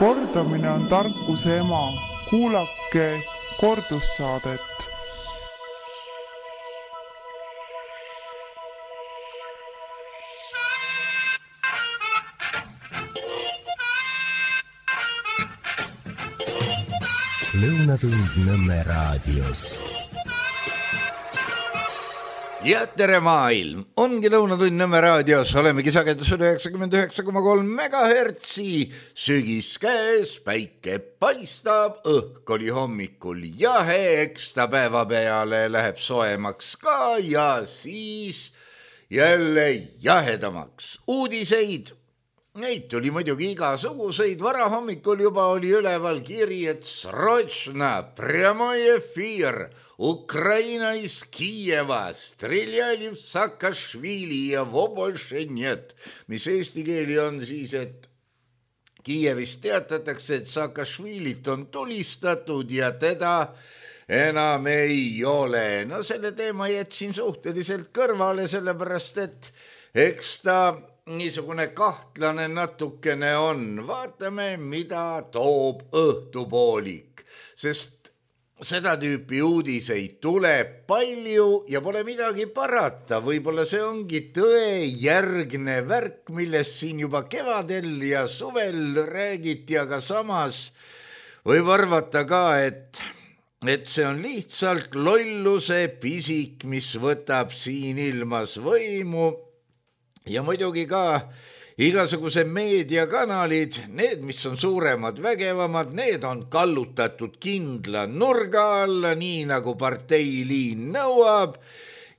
Kordamine on tarkuse ema. Kuulake kordussaadet. Lõunatund Nõmme raadios. Ja tere maailm, ongi Lõunatund Nõmme raadios, olemegi sagedusel 99,3 megahertsi, sügis käes, päike paistab, õhk oli hommikul jahe, eks ta päeva peale läheb soemaks ka ja siis jälle jahedamaks. Uudiseid, neid tuli muidugi igasuguseid, varahommikul juba oli üleval kiri, et sročna, prямой эфир, Ukraina из Kiieva, strilljali v Saakašvili ja vo больше нет, mis eesti keeli on siis, et Kiievist teatatakse, et Saakašvilit on tulistatud ja teda enam ei ole. No selle teema jätsin suhteliselt kõrvale, sellepärast, et eks ta niisugune kahtlane natukene on. Vaatame, mida toob õhtupoolik, sest seda tüüpi uudiseid tuleb palju ja pole midagi parata. Võib-olla see ongi tõejärgne värk, millest siin juba kevadel ja suvel räägiti, aga samas võib arvata ka, et see on lihtsalt lolluse pisik, mis võtab siin ilmas võimu. Ja muidugi ka igasuguse meediakanalid, need, mis on suuremad, vägevamad, need on kallutatud kindla nurga alla, nii nagu parteiliin nõuab,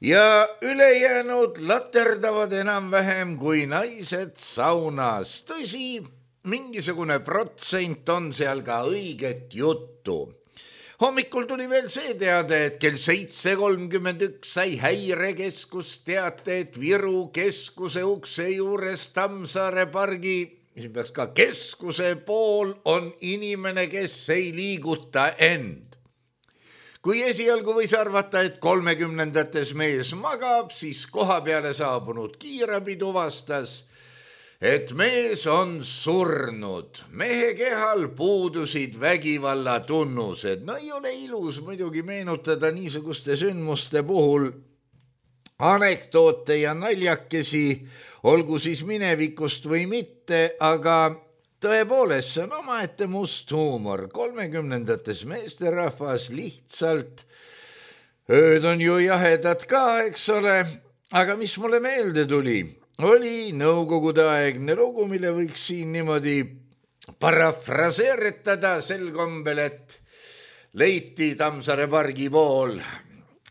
ja ülejäänud laterdavad enam-vähem kui naised saunas. Tõsi, mingisugune protsent on seal ka õiget juttu. Hommikul tuli veel see teade, et kell 7:31 sai Häirekeskus teate, et Viru keskuse ukse juures Tammsaare pargi, mis peaks ka keskuse pool, on inimene, kes ei liiguta end. Kui esialgu võis arvata, et 30-ndates mees magab, siis koha peale saabunud kiirabi tuvastas, et mees on surnud. Mehe kehal puudusid vägivalla tunnused. No ei ole ilus muidugi meenutada niisuguste sündmuste puhul anekdoote ja naljakesi, olgu siis minevikust või mitte, aga tõepoolest see on omaette must huumor. 30-ndates meesterahvas lihtsalt, ööd on ju jahedad ka, eks ole, aga mis mulle meelde tuli, oli nõukogude aegne lugu, mille võiks siin niimoodi parafraseeritada sel kombel, et leiti Tammsaare pargi pool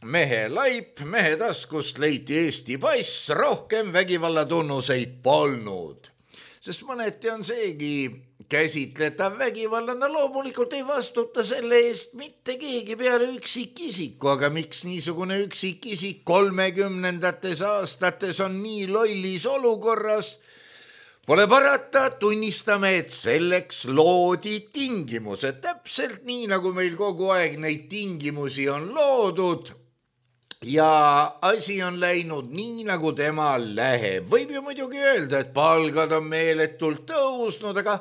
mehe laip, mehe taskust leiti Eesti pass, rohkem vägivallatunnuseid polnud. Sest mõneti on seegi käsitletav vägivallana, loomulikult ei vastuta selle eest mitte keegi peale üksikisiku, aga miks niisugune üksikisik 30-ndates aastates on nii lollis olukorras? Pole parata, tunnistame, et selleks loodi tingimused, täpselt nii, nagu meil kogu aeg neid tingimusi on loodud ja asi on läinud nii, nagu tema läheb. Võib ju muidugi öelda, et palgad on meeletult tõusnud, aga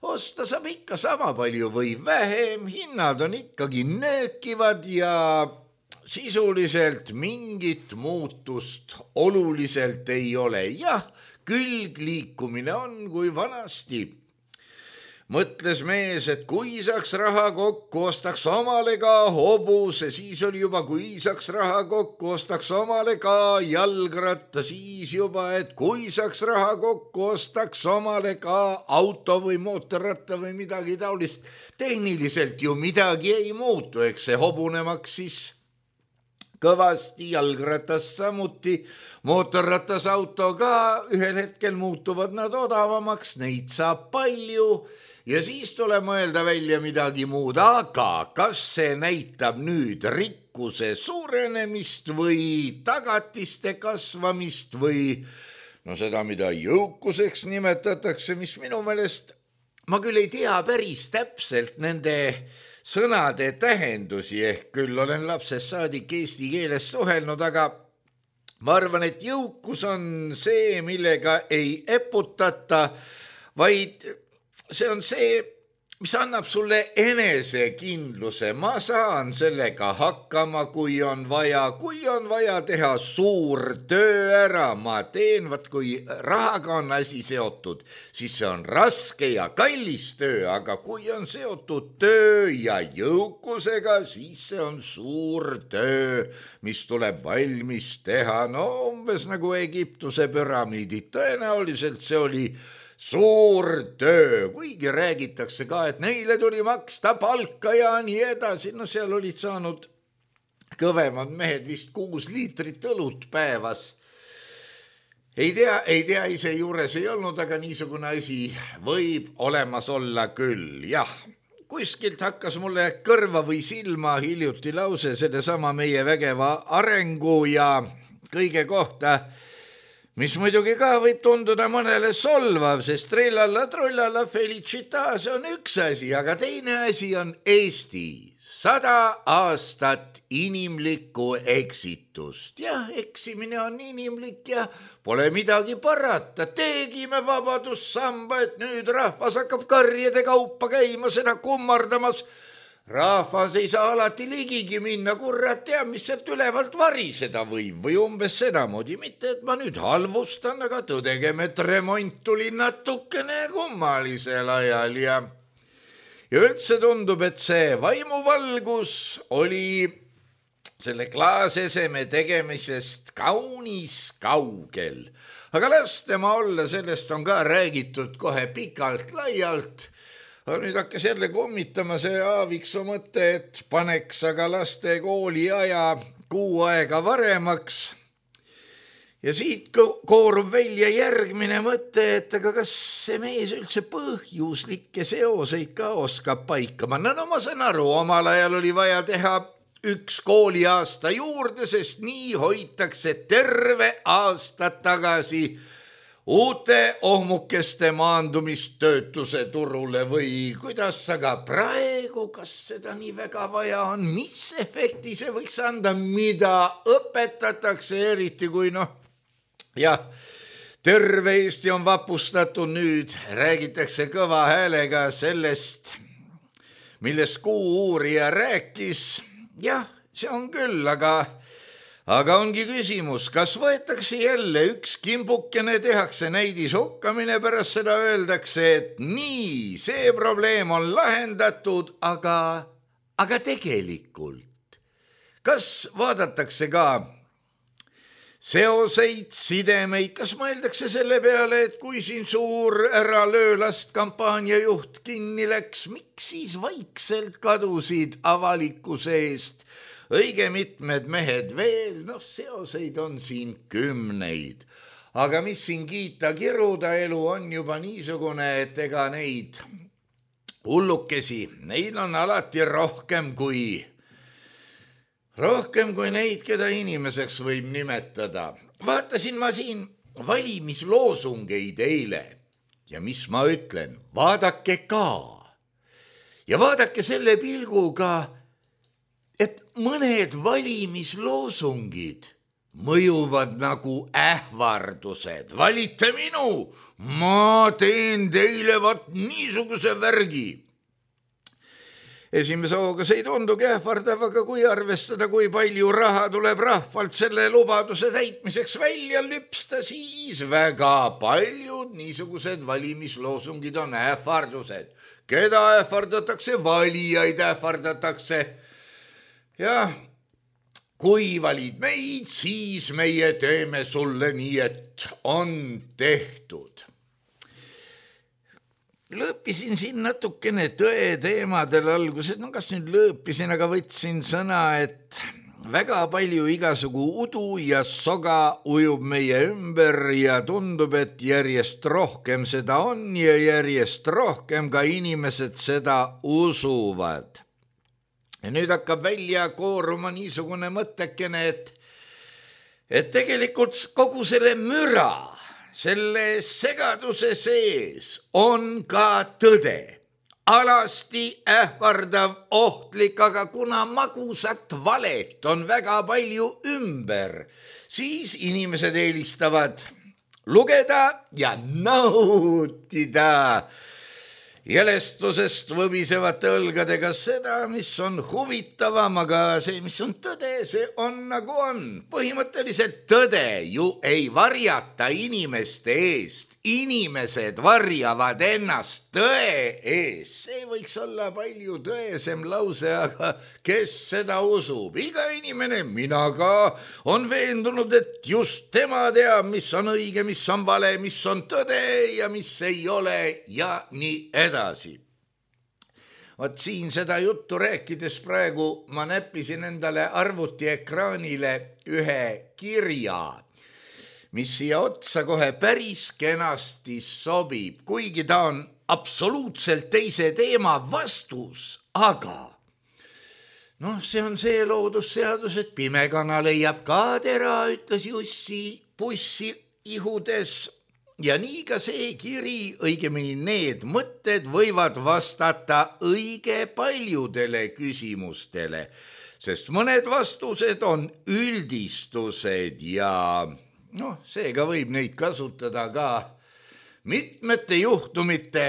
osta saab ikka sama palju või vähem, hinnad on ikkagi nöökivad ja sisuliselt mingit muutust oluliselt ei ole. Jah, külgliikumine on kui vanasti. Mõtles mees, et kui saaks raha kokku, ostaks omale ka hobuse, siis oli juba, kui saaks raha kokku, ostaks omale ka jalgratta, siis juba, et kui saaks raha kokku, ostaks omale ka auto või mootorratta või midagi taolist. Tehniliselt ju midagi ei muutu, eks see hobune maksis kõvasti, jalgratas samuti, mootorratas auto ka, ühel hetkel muutuvad nad odavamaks, neid saab palju. Ja siis tuleb mõelda välja midagi muud, aga kas see näitab nüüd rikkuse suurenemist või tagatiste kasvamist või no seda, mida jõukuseks nimetatakse, mis minu meelest, ma küll ei tea päris täpselt nende sõnade tähendusi, ehk küll olen lapsest saadik eesti keeles suhelnud, aga ma arvan, et jõukus on see, millega ei eputata, vaid see on see, mis annab sulle enesekindluse. Ma saan sellega hakkama, kui on vaja teha suur töö ära. Ma teen, kui rahaga on asi seotud, siis see on raske ja kallis töö, aga kui on seotud töö ja jõukusega, siis see on suur töö, mis tuleb valmis teha. No umbes nagu Egiptuse püramiidid. Tõenäoliselt see oli suur töö, kuigi räägitakse ka, et neile tuli maksta palka ja nii edasi. No seal olid saanud kõvemad mehed vist 6 liitrit õlut päevas. Ei tea, ise juures ei olnud, aga niisugune asi võib olemas olla küll. Jah, kuskilt hakkas mulle kõrva või silma hiljuti lause sellesama meie vägeva arengu ja kõige kohta, mis muidugi ka võib tunduda mõnele solvav, sest trillalla, trullalla, felicita, see on üks asi, aga teine asi on Eesti. 100 aastat inimlikku eksitust. Jah, eksimine on inimlik ja pole midagi parata. Tegime vabadussamba, et nüüd rahvas hakkab karjede kaupa käima, seda kummardamas. Rahvas ei saa alati ligigi minna, kurat teab, mis sealt ülevalt variseda võib või umbes sedamoodi. Mitte, et ma nüüd halvustan, aga tõdegem, et remont tuli natukene kummalisel ajal ja üldse tundub, et see vaimuvalgus oli selle klaaseseme tegemisest kaunis kaugel. Aga las tema olla, sellest on ka räägitud kohe pikalt laialt. Aga nüüd hakkas jälle kummitama see Aaviksoo mõte, et paneks aga laste kooli aja 6 aega varemaks. Ja siit koorub välja järgmine mõte, et aga kas see mees üldse põhjuslikke seoseid ka oskab paika panna. No ma saan aru, omal ajal oli vaja teha 1 kooliaasta juurde, sest nii hoitakse terve aasta tagasi uute ohmukeste maandumistöötuse turule või kuidas, aga praegu, kas seda nii väga vaja on, mis efekti see võiks anda, mida õpetatakse, eriti kui jah, terve Eesti on vapustatud nüüd, räägitakse kõva häälega sellest, millest Kuu-uurija rääkis. Jah, see on küll, aga ongi küsimus, kas võetakse jälle 1 kimbukene, tehakse näidishokkamine, pärast seda öeldakse, et nii, see probleem on lahendatud, aga tegelikult, kas vaadatakse ka seoseid, sidemeid, kas mõeldakse selle peale, et kui siin suur ära löölast kampaaniajuht kinni läks, miks siis vaikselt kadusid avalikkuse eest õige mitmed mehed veel, seoseid on siin 10. Aga mis siin kiita, kiruda, elu on juba niisugune, et ega neid hullukesi, neid on alati rohkem kui neid, keda inimeseks võib nimetada. Vaatasin ma siin valimisloosungeid eile ja mis ma ütlen, vaadake ka. Ja vaadake selle pilguga, et mõned valimisloosungid mõjuvad nagu ähvardused. Valite minu, ma teen teile niisuguse värgi. Esimese hooga see ei tundugi ähvardav, aga kui arvestada, kui palju raha tuleb rahvalt selle lubaduse täitmiseks välja lüpsta, siis väga paljud niisugused valimisloosungid on ähvardused. Keda ähvardatakse? Valijaid ähvardatakse. Ja kui valid meid, siis meie teeme sulle nii, et on tehtud. Lõõpisin siin natukene tõe teemadel alguses, kas nüüd lõõpisin, aga võtsin sõna, et väga palju igasugu udu ja soga ujub meie ümber ja tundub, et järjest rohkem seda on ja järjest rohkem ka inimesed seda usuvad. Ja nüüd hakkab välja kooruma niisugune mõttekene, et tegelikult kogu selle müra, selle segaduse sees on ka tõde. Alasti ähvardav, ohtlik, aga kuna magusat valet on väga palju ümber, siis inimesed eelistavad lugeda ja nautida jälestusest võbisevate õlgadega seda, mis on huvitavam, aga see, mis on tõde, see on nagu on. Põhimõtteliselt tõde ju ei varjata inimeste eest. Inimesed varjavad ennast tõe eest. See võiks olla palju tõesem lause, aga kes seda usub? Iga inimene, mina ka, on veendunud, et just tema teab, mis on õige, mis on vale, mis on tõde ja mis ei ole ja nii edasi. Vot siin seda juttu rääkides praegu ma näppisin endale arvutiekraanile ühe kirja, mis siia otsa kohe päris kenasti sobib, kuigi ta on absoluutselt teise teema vastus, aga see on see loodusseadus, et pimekana leiab ka tera, ütles Jussi pussi ihudes. Ja nii ka see kiri, õigemini need mõtted võivad vastata õige paljudele küsimustele, sest mõned vastused on üldistused ja seega võib neid kasutada ka mitmete juhtumite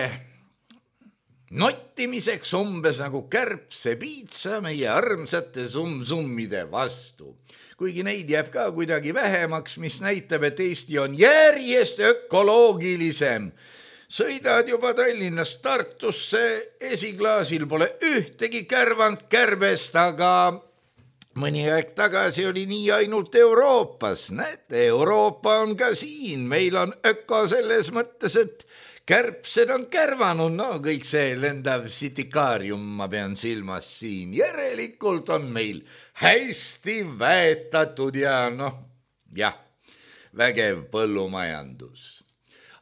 nottimiseks, umbes nagu kärbsepiitsa meie armsate summ-summide vastu. Kuigi neid jääb ka kuidagi vähemaks, mis näitab, et Eesti on järjest ökoloogilisem. Sõidad juba Tallinnast Tartusse, esiklaasil pole ühtegi kärvant kärbest, aga mõni aeg tagasi oli nii ainult Euroopas. Näete, Euroopa on ka siin, meil on öko selles mõttes, et kärbsed on kärvanud, kõik see lendav sitikaarium ma pean silmas siin. Järelikult on meil hästi väetatud ja vägev põllumajandus.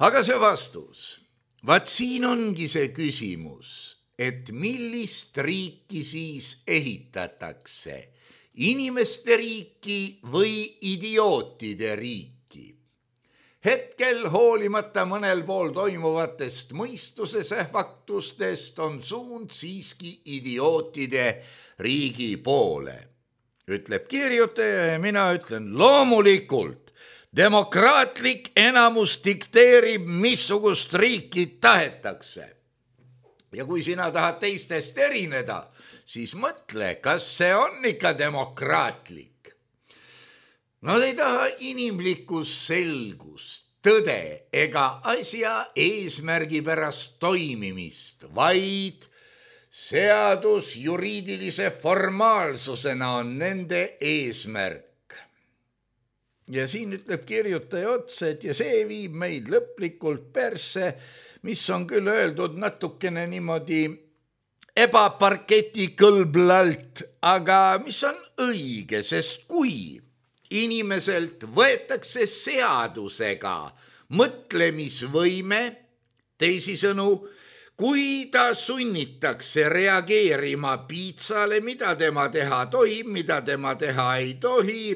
Aga see vastus, vaat siin ongi see küsimus, et millist riiki siis ehitatakse, inimeste riiki või idiootide riiki. Hetkel hoolimata mõnel pool toimuvatest mõistuse sähvaktustest on suund siiski idiootide riigi poole. Ütleb kirjutaja ja mina ütlen loomulikult, demokraatlik enamus dikteerib, missugust riiki tahetakse. Ja kui sina tahad teistest erineda, siis mõtle, kas see on ikka demokraatlik. Nad ei taha inimlikust selgust, tõde ega asja eesmärgi pärast toimimist, vaid seadus juriidilise formaalsusena on nende eesmärk. Ja siin ütleb kirjutaja otsa, et ja see viib meid lõplikult persse, mis on küll öeldud natukene niimoodi ebaparketi kõlblalt, aga mis on õige, sest kui inimeselt võetakse seadusega mõtlemisvõime, teisisõnu, kui ta sunnitakse reageerima piitsale, mida tema teha tohib, mida tema teha ei tohi,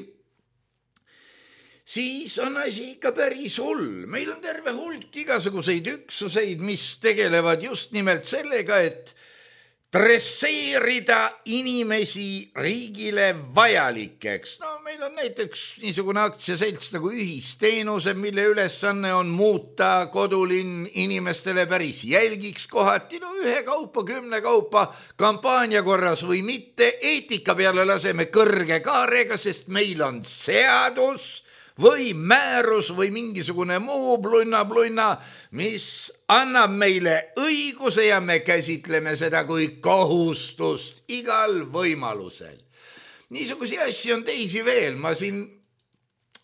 siis on asi ikka päris hull. Meil on terve hulk igasuguseid üksuseid, mis tegelevad just nimelt sellega, et dresseerida inimesi riigile vajalikeks. Meil on näiteks niisugune aktsiaselts nagu ühisteenused, mille ülesanne on muuta kodulinn inimestele päris jälgiks kohati, ühe kaupa, 10 kaupa, kampaania korras või mitte, eetika peale laseme kõrge kaarega, sest meil on seadus või määrus või mingisugune muu blunna, mis annab meile õiguse ja me käsitleme seda kui kohustust igal võimalusel. Niisugusi asju on teisi veel. Ma siin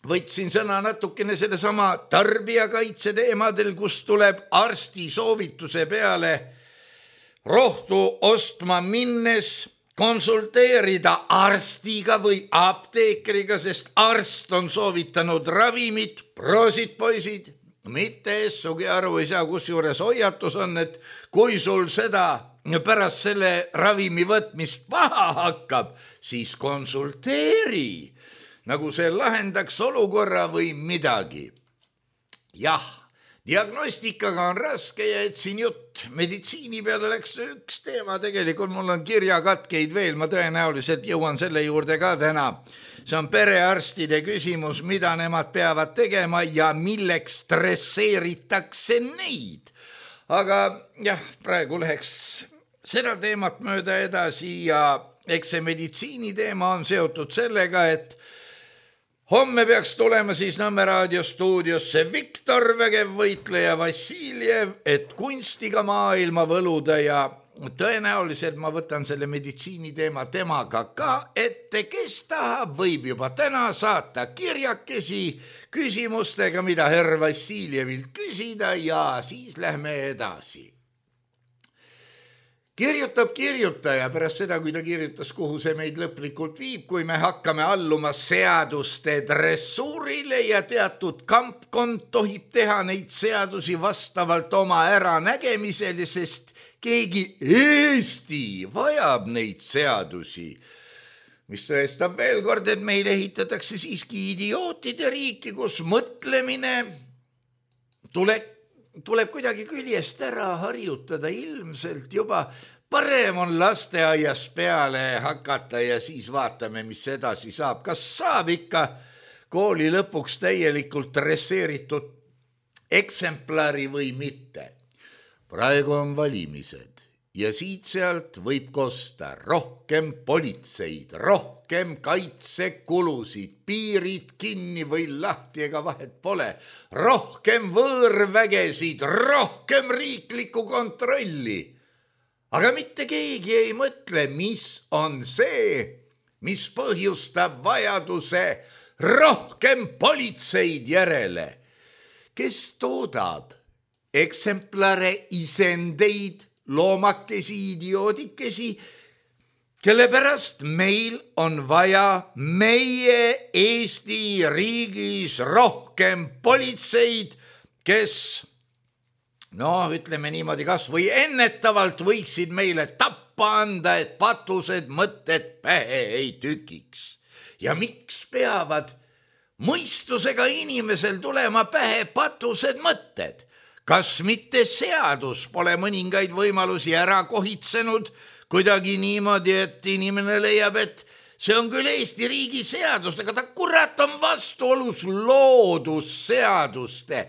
võtsin sõna natukene sellesama tarbijakaitse teemadel, kus tuleb arsti soovituse peale rohtu ostma minnes konsulteerida arstiga või apteekriga, sest arst on soovitanud ravimit, proosid poisid, mitte sugi aru ei saa, kusjuures hoiatus on, et kui sul seda pärast selle ravimi võtmist paha hakkab, siis konsulteeri, nagu see lahendaks olukorra või midagi. Jah, diagnostikaga on raske ja et siin jutt meditsiini peale läks üks teema, tegelikult mul on kirjakatkeid veel, ma tõenäoliselt jõuan selle juurde ka täna. See on perearstide küsimus, mida nemad peavad tegema ja milleks dresseeritakse neid. aga jah, praegu läheks seda teemat mööda edasi ja eks see meditsiini teema on seotud sellega, et homme peaks tulema siis Nõmme raadio stuudiosse Viktor Vägev võitleja Vassiljev, et kunstiga maailma võluda ja tõenäoliselt ma võtan selle meditsiini teema temaga ka ette, kes tahab, võib juba täna saata kirjakesi küsimustega, mida härra Vassiljevilt küsida ja siis lähme edasi. Kirjutab kirjutaja pärast seda, kui ta kirjutas, kuhu see meid lõplikult viib, kui me hakkame alluma seaduste dressuurile ja teatud kampkond tohib teha neid seadusi vastavalt oma äranägemisele, sest keegi Eesti vajab neid seadusi, mis tõestab veel kord, et meil ehitatakse siiski idiootide riiki, kus mõtlemine tuleb kuidagi küljest ära harjutada, ilmselt juba parem on lasteaias peale hakata ja siis vaatame, mis edasi saab. Kas saab ikka kooli lõpuks täielikult dresseeritud eksemplari või mitte? Praegu on valimised ja siit-sealt võib kosta rohkem politseid, rohkem kaitsekulusid, piirid kinni või lahti, ega vahet pole, rohkem võõrvägesid, rohkem riiklikku kontrolli. Aga mitte keegi ei mõtle, mis on see, mis põhjustab vajaduse rohkem politseid järele. Kes toodab eksemplare, isendeid, loomakesi, idioodikesi, kelle pärast meil on vaja meie Eesti riigis rohkem politseid, kes, ütleme niimoodi, kas või ennetavalt võiksid meile tappa anda, et patused mõtted pähe ei tükiks. Ja miks peavad mõistusega inimesel tulema pähe patused mõtted? Kas mitte seadus pole mõningaid võimalusi ära kohitsenud kuidagi niimoodi, et inimene leiab, et see on küll Eesti riigi seadus, aga ta kurat on vastuolus loodusseaduste,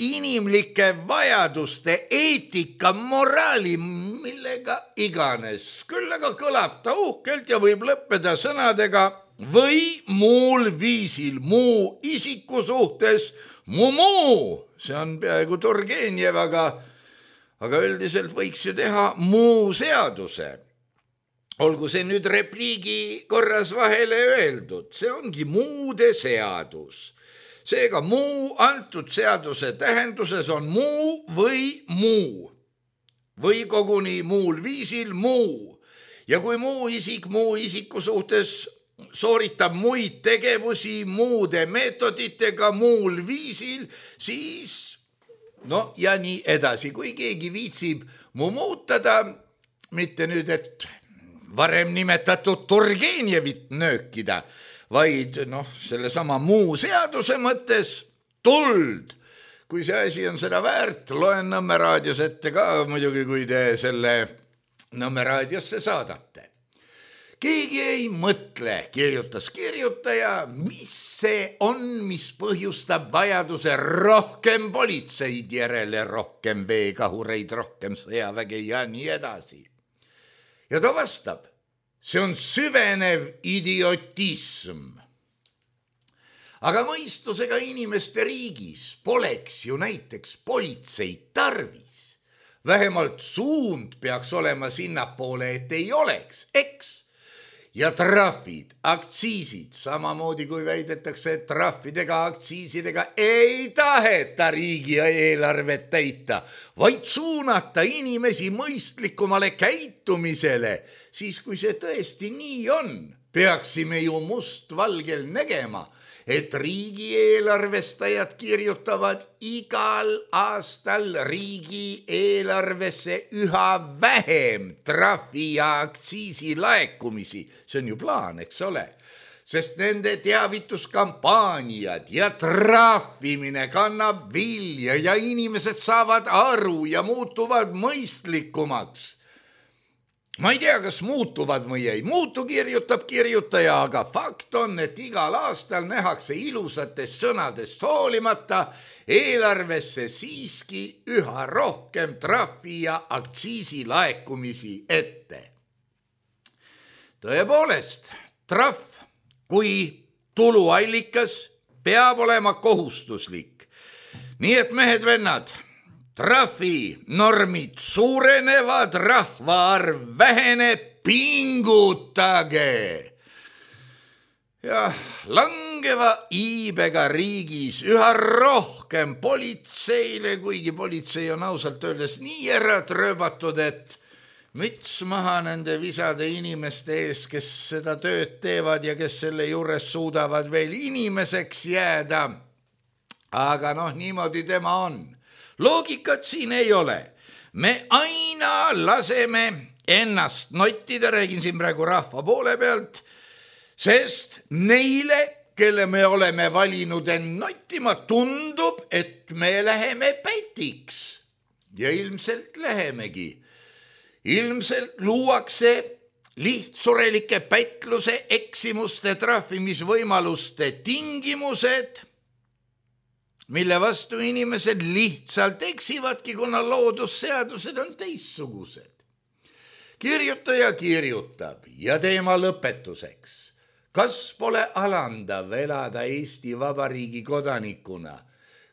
inimlike vajaduste, eetika, moraali, millega iganes. Küll aga kõlab ta uhkelt ja võib lõppeda sõnadega või muul viisil, muu isiku suhtes, muu. See on peaaegu Turgenev, aga üldiselt võiks ju teha muu seaduse. Olgu see nüüd repliigi korras vahele öeldud, see ongi muude seadus. Seega muu antud seaduse tähenduses on muu või koguni muul viisil muu. Ja kui muu isik muu isiku suhtes sooritab muid tegevusi muude meetoditega muul viisil, siis ja nii edasi. Kui keegi viitsib muutada, mitte nüüd, et varem nimetatud Turgenevit nöökida, vaid selle sama muu seaduse mõttes tuld. Kui see asi on seda väärt, loen Nõmme raadios ette ka muidugi, kui te selle Nõmme raadiosse saadate. Keegi ei mõtle, kirjutas kirjutaja, mis see on, mis põhjustab vajaduse rohkem politseid järele, rohkem veekahureid, rohkem sõjaväge ja nii edasi. Ja ta vastab, see on süvenev idiotism. Aga mõistusega inimeste riigis poleks ju näiteks politseid tarvis. Vähemalt suund peaks olema sinnapoole, et ei oleks, eks? Ja trahvid, aktsiisid, samamoodi kui väidetakse, et trahvidega, aktsiisidega ei taheta riigi eelarvet täita, vaid suunata inimesi mõistlikumale käitumisele. Siis kui see tõesti nii on, peaksime ju mustvalgel nägema, et riigieelarvestajad kirjutavad igal aastal riigieelarvesse üha vähem trahvi ja aktsiisi laekumisi. See on ju plaan, eks ole? Sest nende teavituskampaaniad ja trahvimine kannab vilja ja inimesed saavad aru ja muutuvad mõistlikumaks. ma ei tea, kas muutuvad või ei muutu, kirjutab kirjutaja, aga fakt on, et igal aastal nähakse ilusatest sõnadest hoolimata eelarvesse siiski üha rohkem trahvi ja aktsiisi laekumisi ette. Tõepoolest, trahv kui tuluallikas peab olema kohustuslik. Nii et mehed-vennad, trahvi normid suurenevad, rahvaarv väheneb, pingutage. Ja langeva iibega riigis üha rohkem politseile, kuigi politsei on ausalt öeldes nii ära trööbatud, et müts maha nende visade inimeste ees, kes seda tööd teevad ja kes selle juures suudavad veel inimeseks jääda. Aga niimoodi tema on. Loogikat siin ei ole. Me aina laseme ennast nottida, räägin siin praegu rahva poole pealt, sest neile, kelle me oleme valinud end nottima, tundub, et me läheme pätiks. Ja ilmselt lähemegi. Ilmselt luuakse lihtsurelike pätluse, eksimuste, trahvimisvõimaluste tingimused, mille vastu inimesed lihtsalt eksivadki, kuna loodusseadused on teistsugused. Kirjutaja kirjutab ja teema lõpetuseks. Kas pole alandav elada Eesti Vabariigi kodanikuna,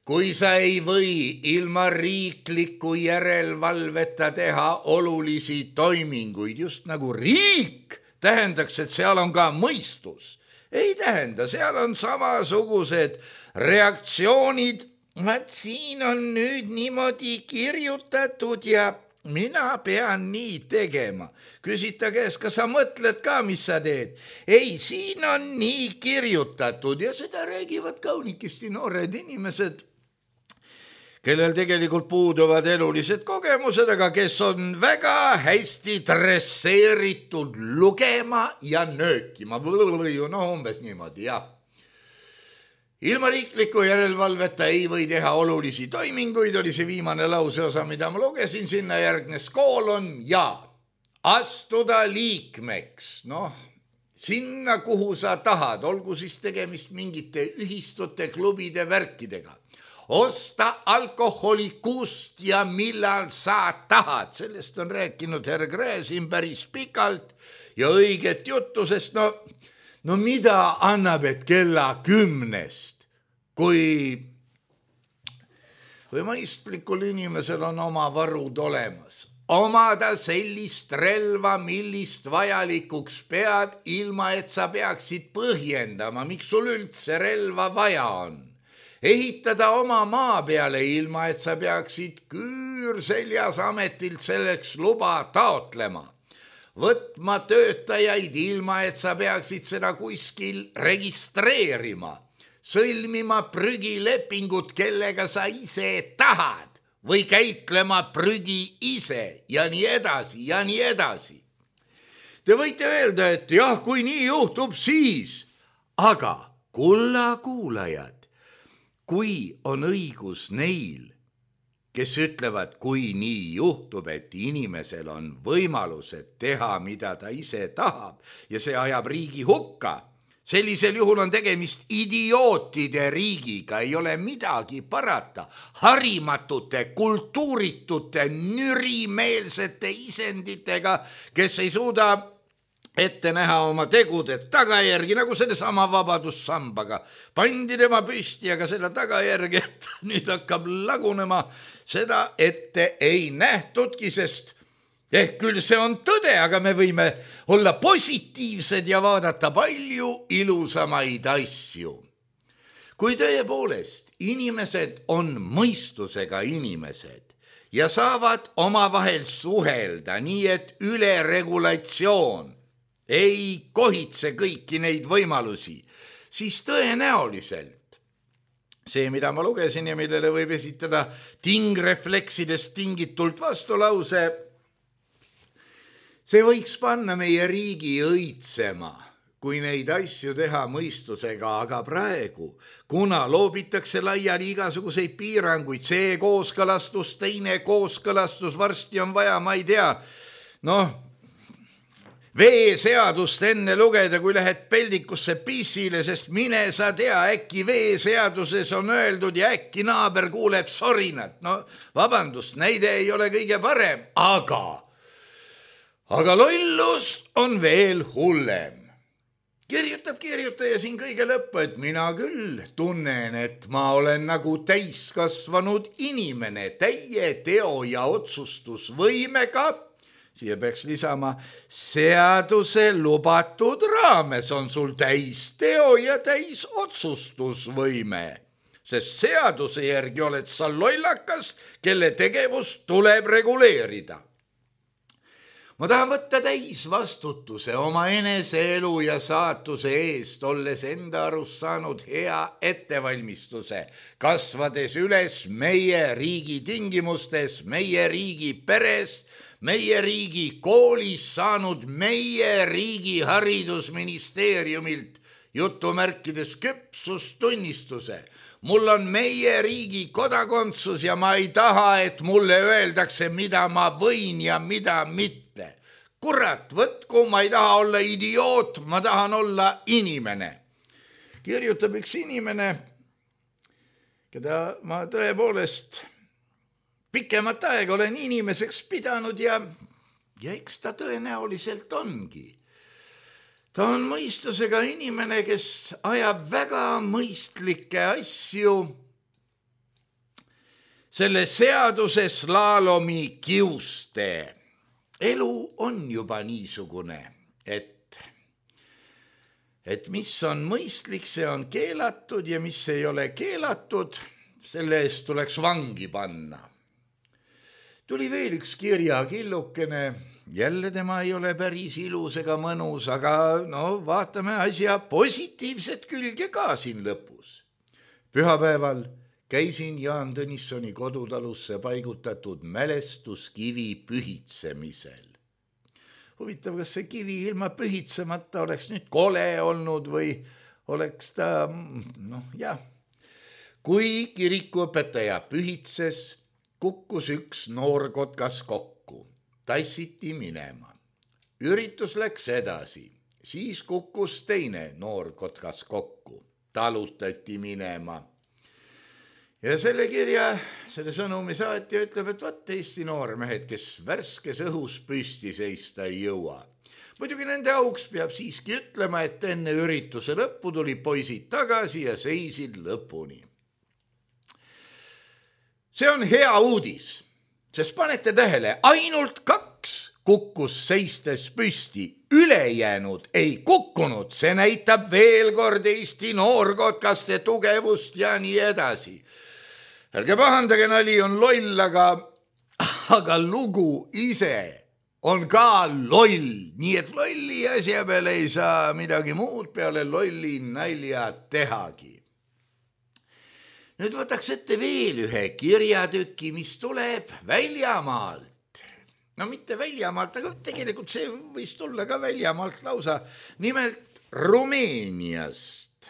kui sa ei või ilma riikliku järelevalveta teha olulisi toiminguid, just nagu riik tähendaks, et seal on ka mõistus. Ei tähenda, seal on samasugused reaktsioonid, et siin on nüüd niimoodi kirjutatud ja mina pean nii tegema. Küsita käes, kas sa mõtled ka, mis sa teed? Ei, siin on nii kirjutatud ja seda räägivad kaunikesti noored inimesed, kellel tegelikult puuduvad elulised kogemused, aga kes on väga hästi dresseeritud lugema ja nöökima. Umbes niimoodi, jah. Ilma riikliku järelevalveta ei või teha olulisi toiminguid, oli see viimane lauseosa, mida ma lugesin, sinna järgnes koolon ja astuda liikmeks. Sinna, kuhu sa tahad, olgu siis tegemist mingite ühistute, klubide, värkidega. Osta alkoholi kust ja millal sa tahad. Sellest on rääkinud herr Gräzin päris pikalt ja õiget juttu, sest no mida annab, et kella 10, kui mõistlikul inimesel on oma varud olemas. Omada sellist relva, millist vajalikuks pead, ilma et sa peaksid põhjendama, miks sul üldse relva vaja on. Ehitada oma maa peale, ilma et sa peaksid küürseljas ametilt selleks luba taotlema. Võtma töötajaid, ilma et sa peaksid seda kuskil registreerima, sõlmima prügilepingut, kellega sa ise tahad või käitlema prügi ise ja nii edasi ja nii edasi. Te võite öelda, et jah, kui nii juhtub, siis, aga kulla kuulajad, kui on õigus neil, kes ütlevad, kui nii juhtub, et inimesel on võimalused teha, mida ta ise tahab ja see ajab riigi hukka. Sellisel juhul on tegemist idiootide riigiga, ei ole midagi parata. Harimatute, kultuuritute, nürimeelsete isenditega, kes ei suuda ette näha oma tegude tagajärgi, nagu selle sama vabadussambaga. Pandi tema püsti, aga selle tagajärgi, et nüüd hakkab lagunema, seda ette ei nähtudki, sest küll see on tõde, aga me võime olla positiivsed ja vaadata palju ilusamaid asju. Kui tõepoolest inimesed on mõistusega inimesed ja saavad omavahel suhelda nii, et üleregulatsioon ei kohitse kõiki neid võimalusi, siis tõenäoliselt see, mida ma lugesin ja millele võib esitada tingrefleksidest tingitult vastulause, see võiks panna meie riigi õitsema, kui neid asju teha mõistusega, aga praegu, kuna loobitakse laiali igasuguseid piiranguid, see kooskõlastus, teine kooskõlastus, varsti on vaja, ma ei tea, veeseadust enne lugeda, kui lähed peldikusse pissile, sest mine sa tea, äkki veeseaduses on öeldud ja äkki naaber kuuleb sorinat. No vabandust, näide ei ole kõige parem, aga lollus on veel hullem. Kirjutab kirjutaja siin kõige lõppu, et mina küll tunnen, et ma olen nagu täiskasvanud inimene täie teo ja otsustusvõimega. Siia peaks lisama, seaduse lubatud raames on sul täis teo ja täis otsustusvõime, sest seaduse järgi oled sa lollakas, kelle tegevust tuleb reguleerida. Ma tahan võtta täis vastutuse oma eneseelu ja saatuse eest, olles enda arust saanud hea ettevalmistuse, kasvades üles meie riigi tingimustes, meie riigi peres, meie riigi koolis saanud meie riigi haridusministeeriumilt jutumärkides küpsustunnistuse. Mul on meie riigi kodakondsus ja ma ei taha, et mulle öeldakse, mida ma võin ja mida mitte. Kurat, võtku, ma ei taha olla idioot, ma tahan olla inimene. Kirjutab üks inimene, keda ma tõepoolest pikemat aega olen inimeseks pidanud ja eks ta tõenäoliselt ongi. Ta on mõistusega inimene, kes ajab väga mõistlikke asju selle seaduse slaalomi kiuste. Elu on juba niisugune, et mis on mõistlik, see on keelatud ja mis ei ole keelatud, selle eest tuleks vangi panna. Tuli veel üks kirjakillukene, jälle tema ei ole päris ilus ega mõnus, aga vaatame asja positiivset külge ka siin lõpus. Pühapäeval käisin Jaan Tõnissoni kodutalusse paigutatud mälestuskivi pühitsemisel. Huvitav, kas see kivi ilma pühitsemata oleks nüüd kole olnud või oleks ta, Kui kirikuõpetaja pühitses, kukkus üks noorkotkas kokku, tassiti minema. Üritus läks edasi, siis kukkus teine noorkotkas kokku, talutati minema. Ja selle kirja, selle sõnumi saatja ütleb, et võt Eesti noormehed, kes värskes õhus püsti seista ei jõua. Muidugi nende auks peab siiski ütlema, et enne ürituse lõppu tuli poisid tagasi ja seisid lõpuni. See on hea uudis, sest panete tähele, ainult 2 kukkus seistes püsti, ülejäänud ei kukkunud, see näitab veel kord Eesti noorkotkaste tugevust ja nii edasi. Ärge pahandage, nali on loll, aga lugu ise on ka loll, nii et lolli asja peale ei saa midagi muud peale lolli nalja tehagi. Nüüd võtaks ette veel ühe kirjatüki, mis tuleb väljamaalt. No mitte väljamaalt, aga tegelikult see võis tulla ka väljamaalt lausa, nimelt Rumeeniast.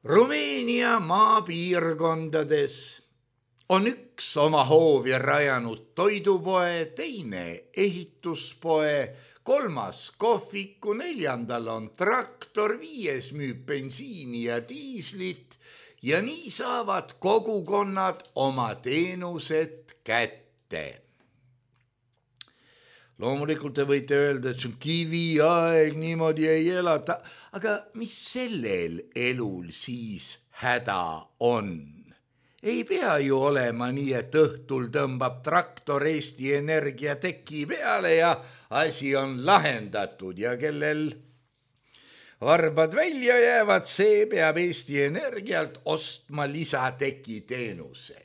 Rumeenia maapiirkondades on üks oma hoovi rajanud toidupoe, teine ehituspoe, 3. kohviku, 4. on traktor, 5. müüb bensiini ja diislit ja nii saavad kogukonnad oma teenused kätte. Loomulikult te võite öelda, et see on kiviaeg, niimoodi ei elata, aga mis sellel elul siis häda on? Ei pea ju olema nii, et õhtul tõmbab traktor Eesti Energia teki peale ja asi on lahendatud ja kellel varbad välja jäävad, see peab Eesti Energialt ostma lisateki teenuse.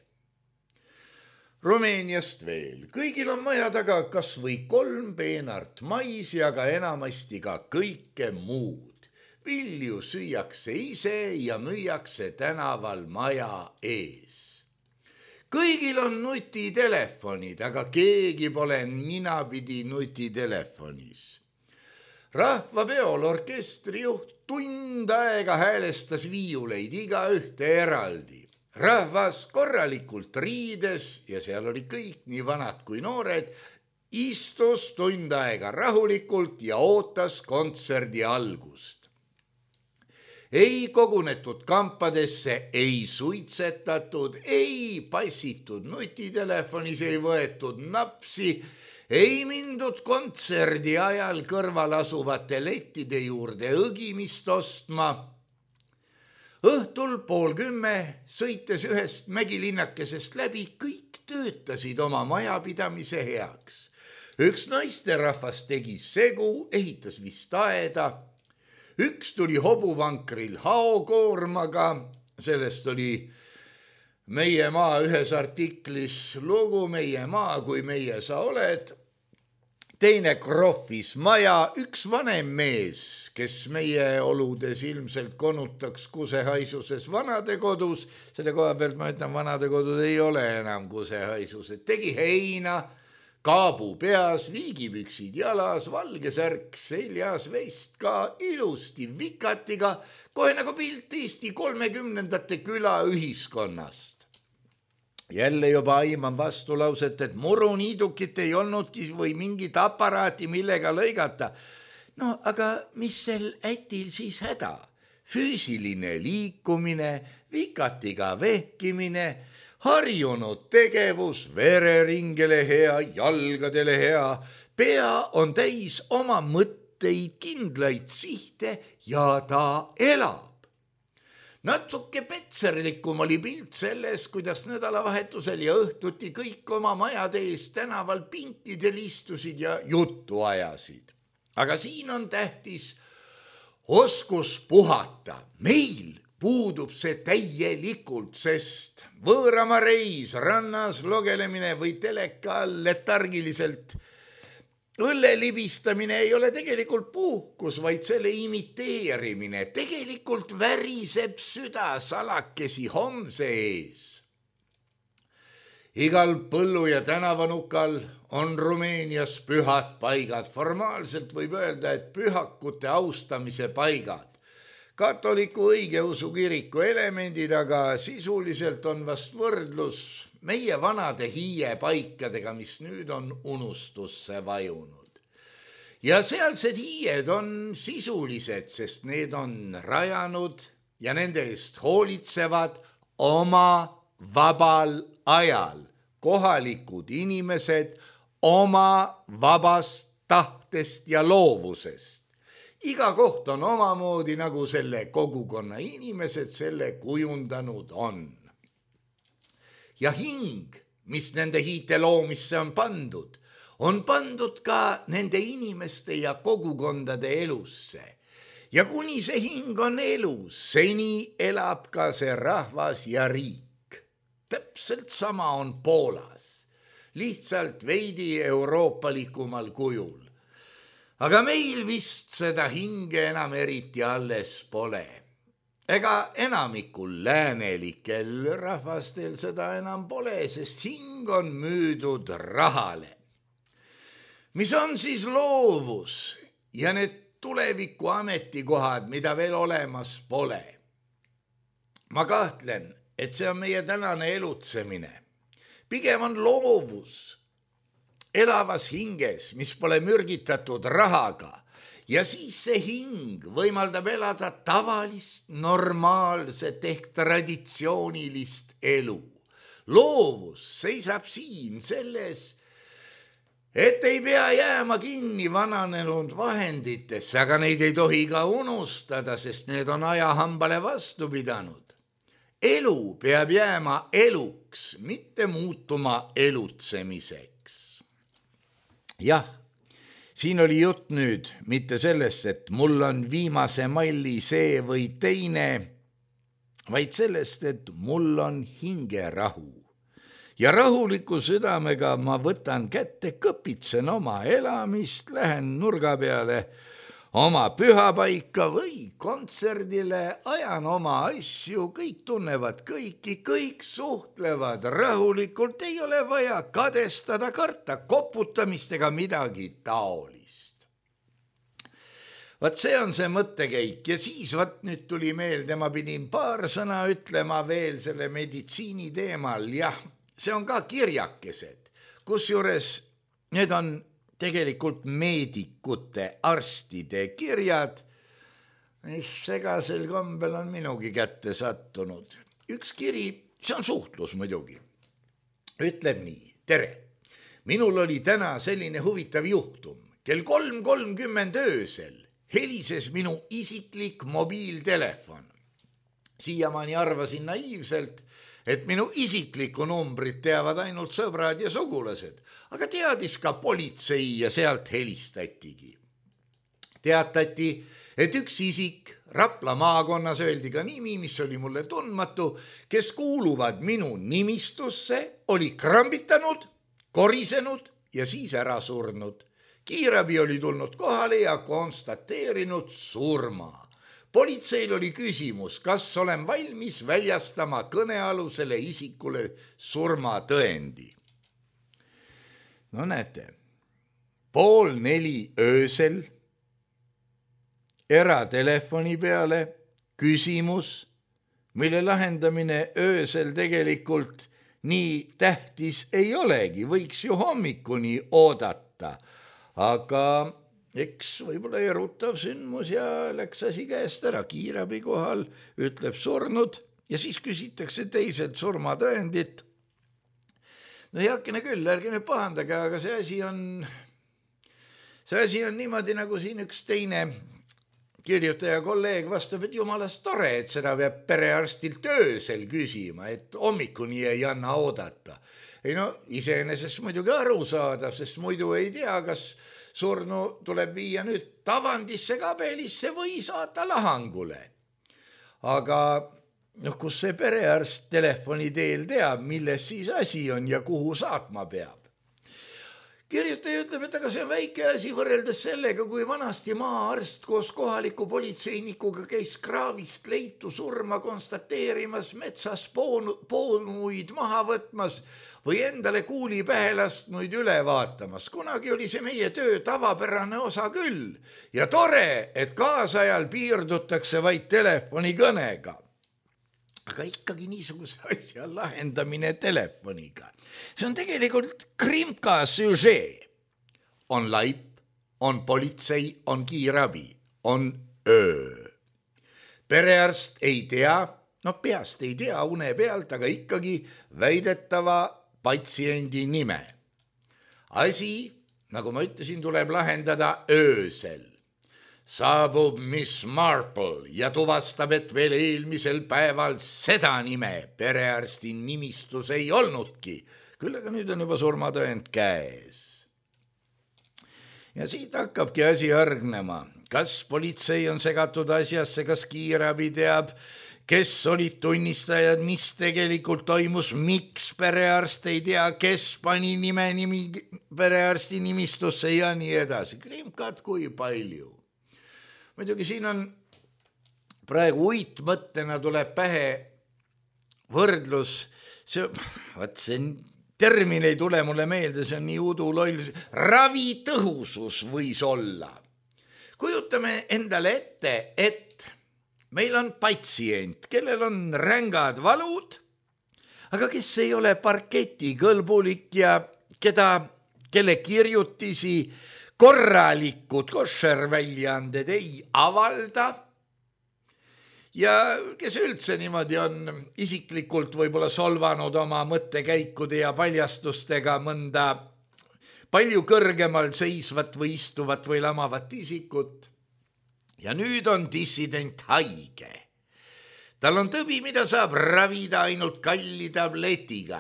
Rumeeniast veel. Kõigil on maja taga kas või 3 peenart maisi, aga enamasti ka kõike muud. Vilju süüakse ise ja müüakse tänaval maja ees. Kõigil on nutitelefonid, aga keegi pole ninapidi nutitelefonis. Rahvapeol orkestri juht tund aega häälestas viiuleid iga ühte eraldi. Rahvas korralikult riides ja seal oli kõik nii vanad kui noored istus tund aega rahulikult ja ootas kontserdi algust. Ei kogunetud kampadesse, ei suitsetatud, ei passitud nutitelefonis, ei võetud napsi, ei mindud kontserdi ajal kõrval asuvate lettide juurde õgimist ostma. Õhtul 9:30 sõites ühest mägilinnakesest läbi, kõik töötasid oma majapidamise heaks. Üks naisterahvas tegi segu, ehitas vist aeda. Üks tuli hobuvankril haokoormaga, sellest oli Meie maa ühes artiklis lugu Meie maa, kui meie sa oled. Teine krohvis maja, üks vanem mees, kes meie oludes ilmselt konutaks kusehaisuses vanadekodus. Selle koha pealt ma ütlen, vanadekodud ei ole enam kusehaisuses. Tegi heina, kaabu peas, viigipüksid jalas, valge särk seljas, vest ka ilusti vikatiga, kohe nagu pilt Eesti 30ndate küla ühiskonnast. Jälle juba aiman vastulauset, et muruniidukit ei olnudki või mingit aparaati, millega lõigata. No aga mis sel ätil siis häda? Füüsiline liikumine, vikatiga vehkimine, harjunud tegevus, vereringele hea, jalgadele hea, pea on täis oma mõtteid, kindlaid sihte ja ta elab. Natsuke petserlikum oli pilt selles, kuidas nädalavahetusel ja õhtuti kõik oma majade ees tänaval pintidel istusid ja juttu ajasid. Aga siin on tähtis oskus puhata. Meil puudub see täielikult, sest võõrama reis, rannas logelemine või teleka all letargiliselt õlle libistamine ei ole tegelikult puhkus, vaid selle imiteerimine. Tegelikult väriseb süda salakesi homse ees. Igal põllu ja tänavanukal on Rumeenias pühad paigad. Formaalselt võib öelda, et pühakute austamise paigad. Katoliku õigeusu kiriku elemendid, aga sisuliselt on vast võrdlus meie vanade hiiepaikadega, mis nüüd on unustusse vajunud. Ja sealsed hiied on sisulised, sest need on rajanud ja nende eest hoolitsevad oma vabal ajal kohalikud inimesed oma vabast tahtest ja loovusest. Iga koht on omamoodi, nagu selle kogukonna inimesed selle kujundanud on. Ja hing, mis nende hiite loomisse on pandud ka nende inimeste ja kogukondade elusse. Ja kuni see hing on elus, seni elab ka see rahvas ja riik. Täpselt sama on Poolas, lihtsalt veidi euroopalikumal kujul. Aga meil vist seda hinge enam eriti alles pole. Ega enamikul läänelikel rahvastel seda enam pole, sest hing on müüdud rahale. Mis on siis loovus ja need tuleviku ametikohad, mida veel olemas pole? Ma kahtlen, et see on meie tänane elutsemine. Pigem on loovus elavas hinges, mis pole mürgitatud rahaga. Ja siis see hing võimaldab elada tavalist, normaalset ehk traditsioonilist elu. Loovus seisab siin selles, et ei pea jääma kinni vananenud vahenditesse, aga neid ei tohi ka unustada, sest need on ajahambale vastu pidanud. Elu peab jääma eluks, mitte muutuma elutsemiseks. Jah. Siin oli jutt nüüd mitte sellest, et mul on viimase malli see või teine, vaid sellest, et mul on hingerahu. Ja rahuliku südamega ma võtan kätte, kõpitsen oma elamist, lähen nurga peale oma pühapaika või kontserdile, ajan oma asju, kõik tunnevad kõiki, kõik suhtlevad rahulikult, ei ole vaja kadestada, karta koputamist ega midagi taolist. Vaat see on see mõttekäik ja siis nüüd tuli meelde, ma pidin paar sõna ütlema veel selle meditsiini teemal. Jah, see on ka kirjakesed, kusjuures need on tegelikult meedikute, arstide kirjad, mis segasel kombel on minugi kätte sattunud. Üks kiri, see on suhtlus muidugi. Ütleb nii, tere, minul oli täna selline huvitav juhtum. Kell 3:30 öösel helises minu isiklik mobiiltelefon. Siiamaani arvasin naiivselt, et minu isiklikku numbrit teavad ainult sõbrad ja sugulased, aga teadis ka politsei ja sealt helistatigi. Teatati, et üks isik Rapla maakonnas, öeldi ka nimi, mis oli mulle tundmatu, kes kuuluvad minu nimistusse, oli krambitanud, korisenud ja siis ära surnud. Kiirabi oli tulnud kohale ja konstateerinud surma. Politseil oli küsimus, kas olen valmis väljastama kõnealusele isikule surmatõendi. No näete, 3:30 öösel eratelefoni peale küsimus, mille lahendamine öösel tegelikult nii tähtis ei olegi, võiks ju hommikuni oodata, aga eks võib-olla erutav sündmus ja läks asi käest ära. Kiirabi kohal ütleb surnud ja siis küsitakse teiselt surmatõendit. No heakene küll, ärge nüüd pahandage, aga see asi on niimoodi, nagu siin üks teine kirjutaja kolleeg vastab, et jumalast tore, et seda peab perearstilt öösel küsima, et hommikuni ei anna oodata. Ei no, iseenesest muidugi aru saada, sest muidu ei tea, kas surnu tuleb viia nüüd tavandisse kabelisse või saata lahangule. Aga kus see perearst telefoni teel teab, milles siis asi on ja kuhu saatma peab. Kirjutaja ütleb, et aga see on väike asi võrreldes sellega, kui vanasti maaarst koos kohaliku politseinikuga käis kraavist leitu surma konstateerimas, metsas poonuid maha võtmas või endale kuuli pähe lastnuid üle vaatamas. Kunagi oli see meie töö tavapärane osa küll ja tore, et kaasajal piirdutakse vaid telefonikõnega. Aga ikkagi niisuguse asja lahendamine telefoniga. See on tegelikult krimka süžee. On laip, on politsei, on kiirabi, on öö. Perearst ei tea, peast ei tea une pealt, aga ikkagi väidetava patsiendi nime. Asi, nagu ma ütlesin, tuleb lahendada öösel. Saabub Miss Marple ja tuvastab, et veel eelmisel päeval seda nime perearsti nimistus ei olnudki. Küll aga nüüd on juba surmatõend käes. Ja siit hakkabki asi hargnema. Kas politsei on segatud asjasse, kas kiirabi teab, kes olid tunnistajad, mis tegelikult toimus, miks perearst ei tea, kes pani nimi perearsti nimistusse ja nii edasi. Krimkad kui palju. Muidugi siin on praegu uitmõttena tuleb pähe võrdlus, see termin ei tule mulle meelde, see on nii uduloll, ravitõhusus võis olla. Kujutame endale ette, et meil on patsient, kellel on rängad valud, aga kes ei ole parketikõlbulik ja kelle kirjutisi korralikud koššerväljaanded ei avalda ja kes üldse niimoodi on isiklikult võib-olla solvanud oma mõttekäikude ja paljastustega mõnda palju kõrgemal seisvat või istuvat või lamavat isikut. Ja nüüd on dissident haige. Tal on tõbi, mida saab ravida ainult kalli tabletiga.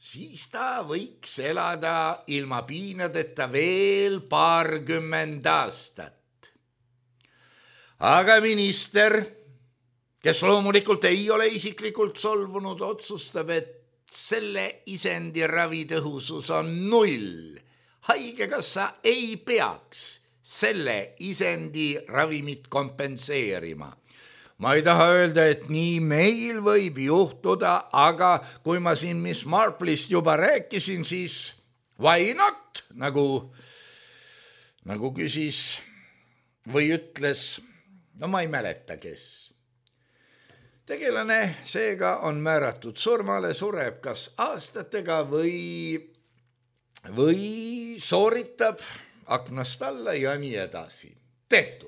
Siis ta võiks elada ilma piinadeta veel 20 aastat. Aga minister, kes loomulikult ei ole isiklikult solvunud, otsustab, et selle isendi ravitõhusus on 0. Haigekassa ei peaks selle isendi ravimit kompenseerima. Ma ei taha öelda, et nii meil võib juhtuda, aga kui ma siin Miss Marple'ist juba rääkisin, siis why not, nagu küsis või ütles, no ma ei mäleta, kes. Tegelane seega on määratud surmale, sureb kas aastatega või sooritab aknast alla ja nii edasi. Tehtud.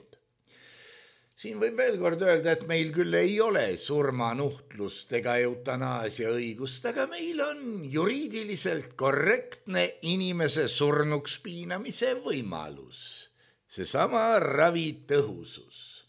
Siin võib veel kord öelda, et meil küll ei ole surmanuhtlust ega eutanaasia õigust, aga meil on juriidiliselt korrektne inimese surnuks piinamise võimalus. Seesama ravitõhusus.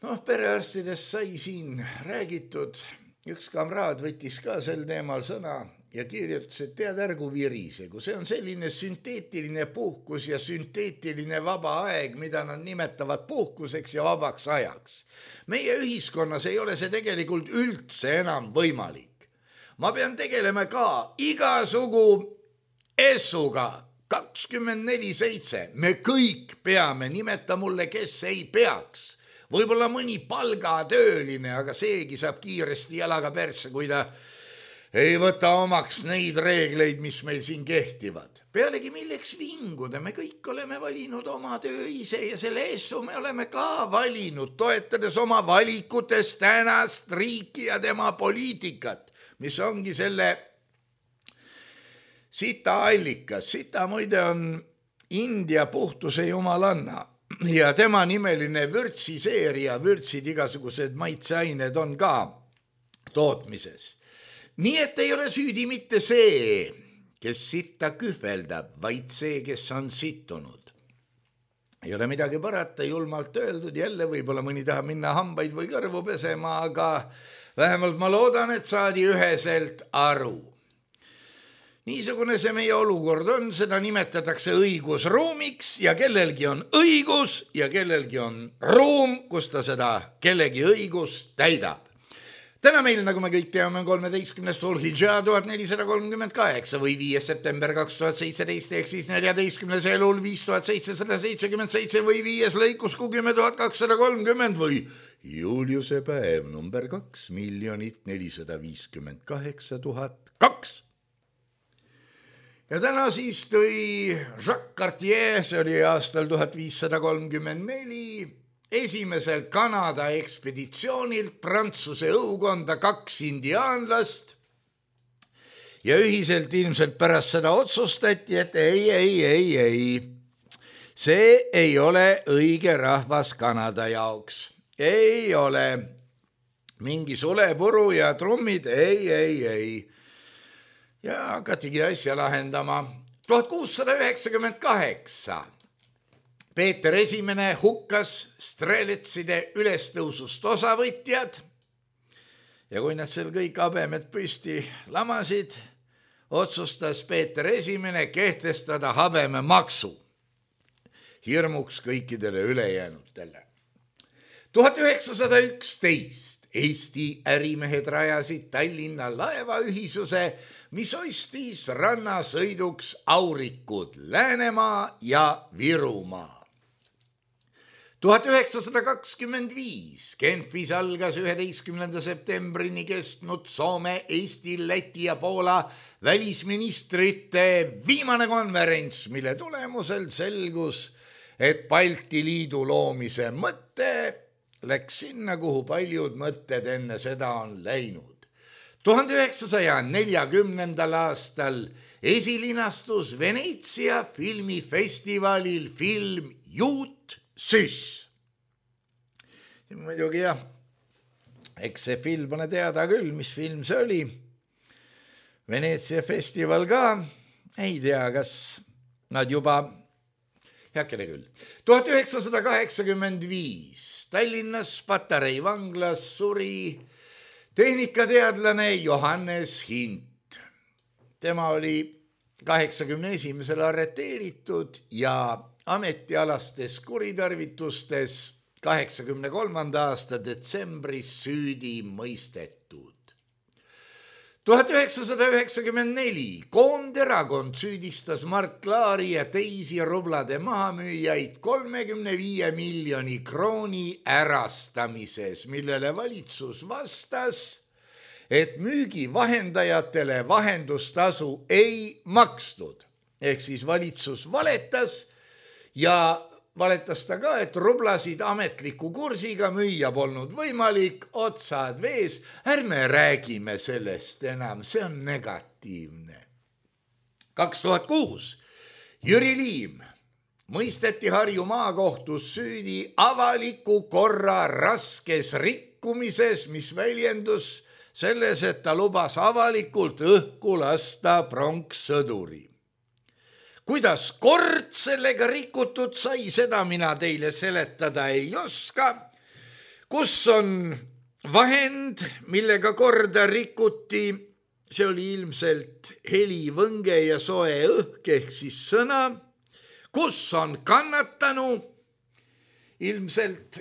Perearstidest sai siin räägitud, üks kamraad võttis ka sel teemal sõna ja kirjutas, et tead ärgu virise, kui see on selline sünteetiline puhkus ja sünteetiline vaba aeg, mida nad nimetavad puhkuseks ja vabaks ajaks. Meie ühiskonnas ei ole see tegelikult üldse enam võimalik. Ma pean tegelema ka igasugu essuga 24/7. Me kõik peame, nimeta mulle, kes ei peaks. Võib-olla mõni palgatööline, aga seegi saab kiiresti jalaga persse, kui ta ei võta omaks neid reegleid, mis meil siin kehtivad. Pealegi milleks vinguda, me kõik oleme valinud oma töö ise ja selle essu me oleme ka valinud, toetades oma valikutes tänast riiki ja tema poliitikat, mis ongi selle sita allikas. Sita muide on India puhtuse jumalanna ja tema nimeline vürtsiseeria, vürtsid igasugused maitseained on ka tootmises. Nii et ei ole süüdi mitte see, kes sitta kühveldab, vaid see, kes on sittunud. Ei ole midagi parata, julmalt öeldud, jälle võib-olla mõni tahab minna hambaid või kõrvu pesema, aga vähemalt ma loodan, et saadi üheselt aru. Niisugune see meie olukord on, seda nimetatakse õigusruumiks ja kellelgi on õigus ja kellelgi on ruum, kus ta seda kellegi õigust täidab. Täna meil, nagu me kõik teame, on 13. Dhul-Hijjah 1438 või 5. september 2017 ehk siis 14. elul 5777 või 5. lõikus 10230 või Juliuse päev number 2 458 002. Ja täna siis tõi Jacques Cartier, see oli aastal 1534, esimesel Kanada ekspeditsioonilt Prantsuse õukonda 2 indiaanlast ja ühiselt ilmselt pärast seda otsustati, et ei. See ei ole õige rahvas Kanada jaoks. Ei ole. Mingi sulepuru ja trummid, ei. Ja hakatigi asja lahendama. 1698. Peeter Esimene hukkas streletside ülestõusust osavõtjad ja kui nad seal kõik habemed püsti lamasid, otsustas Peeter Esimene kehtestada habememaksu hirmuks kõikidele ülejäänutele. 1911 Eesti ärimehed rajasid Tallinna laevaühisuse, mis ostis rannasõiduks Aurikud, Läänemaa ja Virumaa. 1925 Genfis algas 11. septembrini kestnud Soome, Eesti, Läti ja Poola välisministrite viimane konverents, mille tulemusel selgus, et Balti Liidu loomise mõte läks sinna, kuhu paljud mõtted enne seda on läinud. 1940. aastal esilinastus Veneetsia filmifestivalil film Juut Süss. Muidugi jah, eks see film pole teada küll, mis film see oli. Veneetsia festival ka, ei tea, kas nad juba, heakene küll. 1985 Tallinnas Patarei vanglas suri tehnikateadlane Johannes Hint. Tema oli 81. arreteeritud ja ametialastes kuritarvitustes 83. aasta detsembris süüdi mõistetud. 1994 Koonderakond süüdistas Mart Laari ja teisi rublade mahamüüjaid 35 miljoni krooni ärastamises, millele valitsus vastas, et müügivahendajatele vahendustasu ei makstud. Ehk siis valitsus valetas ja valetas ta ka, et rublasid ametliku kursiga müüa polnud võimalik, otsad vees, ärme räägime sellest enam, see on negatiivne. 2006 Jüri Liim mõisteti Harju maakohtus süüdi avaliku korra raskes rikkumises, mis väljendus selles, et ta lubas avalikult õhku lasta pronkssõduri. Kuidas kord sellega rikutud sai, seda mina teile seletada ei oska. Kus on vahend, millega korda rikuti, see oli ilmselt helivõnge ja soe õhk ehk siis sõna. Kus on kannatanu, ilmselt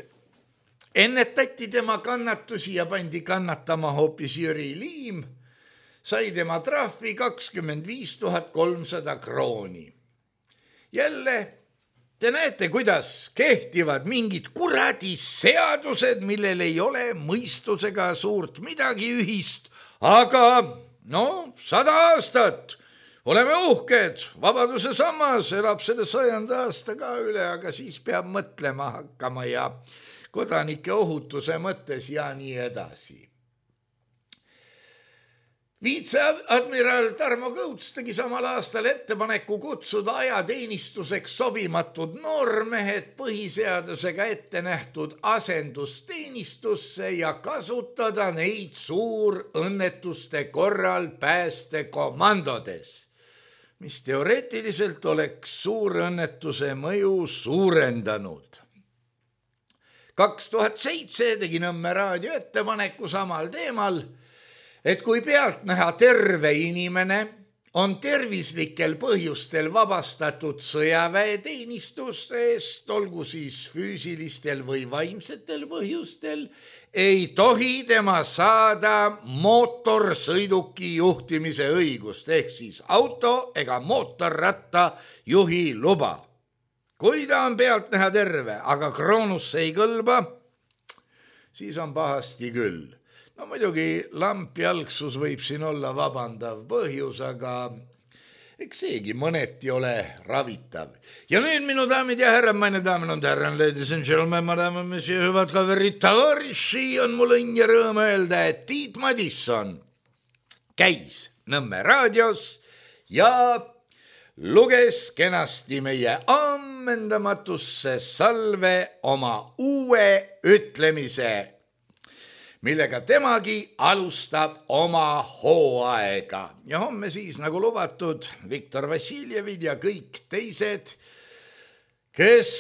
ennetati tema kannatusi ja pandi kannatama hoopis Jüri Liim, sai tema trahvi 25 300 krooni. Jälle te näete, kuidas kehtivad mingid kuradi seadused, millel ei ole mõistusega suurt midagi ühist, aga 100 aastat oleme uhked, vabaduse sammas elab selle 100. aasta ka üle, aga siis peab mõtlema hakkama ja kodanike ohutuse mõttes ja nii edasi. Viitseadmiral Tarmo Kõuts tegi samal aastal ettepaneku kutsuda ajateenistuseks sobimatud noormehed põhiseadusega ette nähtud asendusteenistusse ja kasutada neid suurõnnetuste korral päästekomandodes, mis teoreetiliselt oleks suurõnnetuse mõju suurendanud. 2007 tegi Nõmme raadio ettepaneku samal teemal, et kui pealtnäha terve inimene on tervislikel põhjustel vabastatud sõjaväeteenistustest, olgu siis füüsilistel või vaimsetel põhjustel, ei tohi tema saada mootorsõiduki juhtimise õigust ehk siis auto ega mootorratta juhi luba. Kui ta on pealtnäha terve, aga kroonusse ei kõlba, siis on pahasti küll. No muidugi lampjalgsus võib siin olla vabandav põhjus, aga eks seegi mõneti ole ravitav. Ja nüüd minu daamid ja härrad, meine damen und herren, ladies and gentlemen, madame, monsieur, hüvad kaverid, tavariši, on mul õnn ja rõõm öelda, et Tiit Madisson käis Nõmme raadios ja luges kenasti meie ammendamatusse salve oma uue ütlemise, millega temagi alustab oma hooaega. Ja homme siis, nagu lubatud, Viktor Vassiljevid ja kõik teised, kes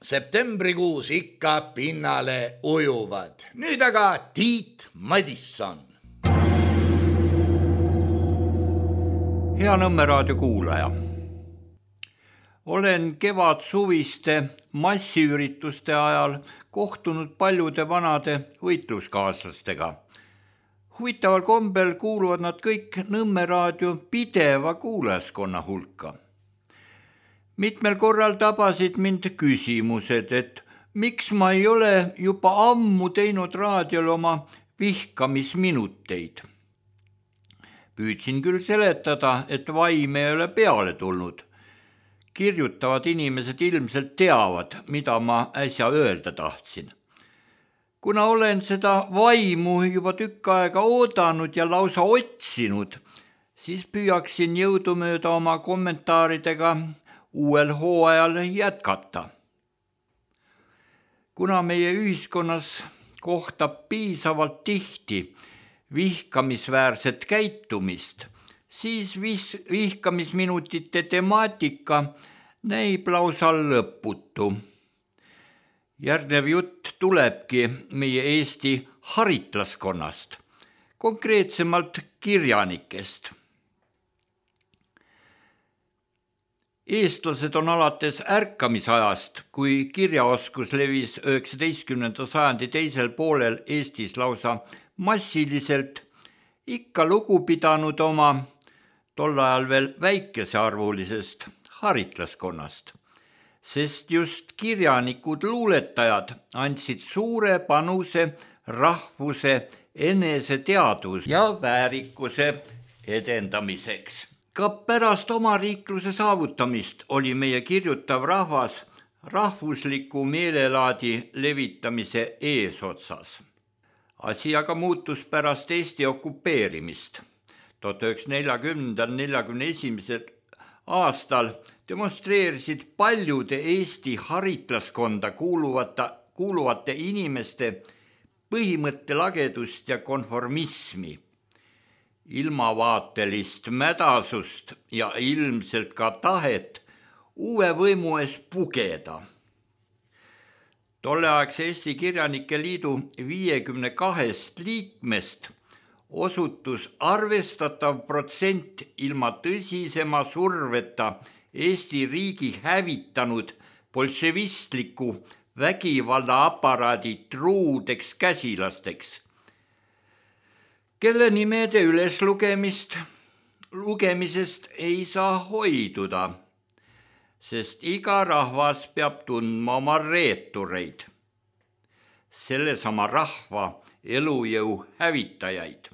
septembrikuus ikka pinnale ujuvad. Nüüd aga Tiit Madisson. Hea Nõmme raadio kuulaja. Olen kevad-suviste massiürituste ajal kohtunud paljude vanade võitluskaaslastega. Huvitaval kombel kuuluvad nad kõik Nõmme raadio pideva kuulajaskonna hulka. Mitmel korral tabasid mind küsimused, et miks ma ei ole juba ammu teinud raadiol oma vihkamisminuteid. Püüdsin küll seletada, et vaim ei ole peale tulnud. Kirjutavad inimesed ilmselt teavad, mida ma äsja öelda tahtsin. Kuna olen seda vaimu juba tükk aega oodanud ja lausa otsinud, siis püüaksin jõudumööda oma kommentaaridega uuel hooajal jätkata. Kuna meie ühiskonnas kohtab piisavalt tihti vihkamisväärset käitumist, siis vihkamisminutite temaatika näib lausa lõputu. Järgnev jutt tulebki meie Eesti haritlaskonnast, konkreetsemalt kirjanikest. Eestlased on alates ärkamisajast, kui kirjaoskus levis 19. sajandi teisel poolel Eestis lausa massiliselt, ikka lugu pidanud oma tol ajal veel väikesearvulisest haritlaskonnast, sest just kirjanikud luuletajad andsid suure panuse rahvuse eneseteadvuse ja väärikuse edendamiseks. Ka pärast omariikluse saavutamist oli meie kirjutav rahvas rahvusliku meelelaadi levitamise eesotsas. Asi aga muutus pärast Eesti okupeerimist. 1940-41. aastal demonstreerisid paljude Eesti haritlaskonda kuuluvate inimeste põhimõttelagedust ja konformismi, ilmavaatelist mädasust ja ilmselt ka tahet uue võimu ees pugeda. Tolleaegse Eesti Kirjanike Liidu 52 liikmest osutus arvestatav protsent ilma tõsisema surveta Eesti riigi hävitanud bolševistliku vägivallaaparaadi truudeks käsilasteks, kelle nimede lugemisest ei saa hoiduda, sest iga rahvas peab tundma oma reetureid, sellesama rahva elujõu hävitajaid.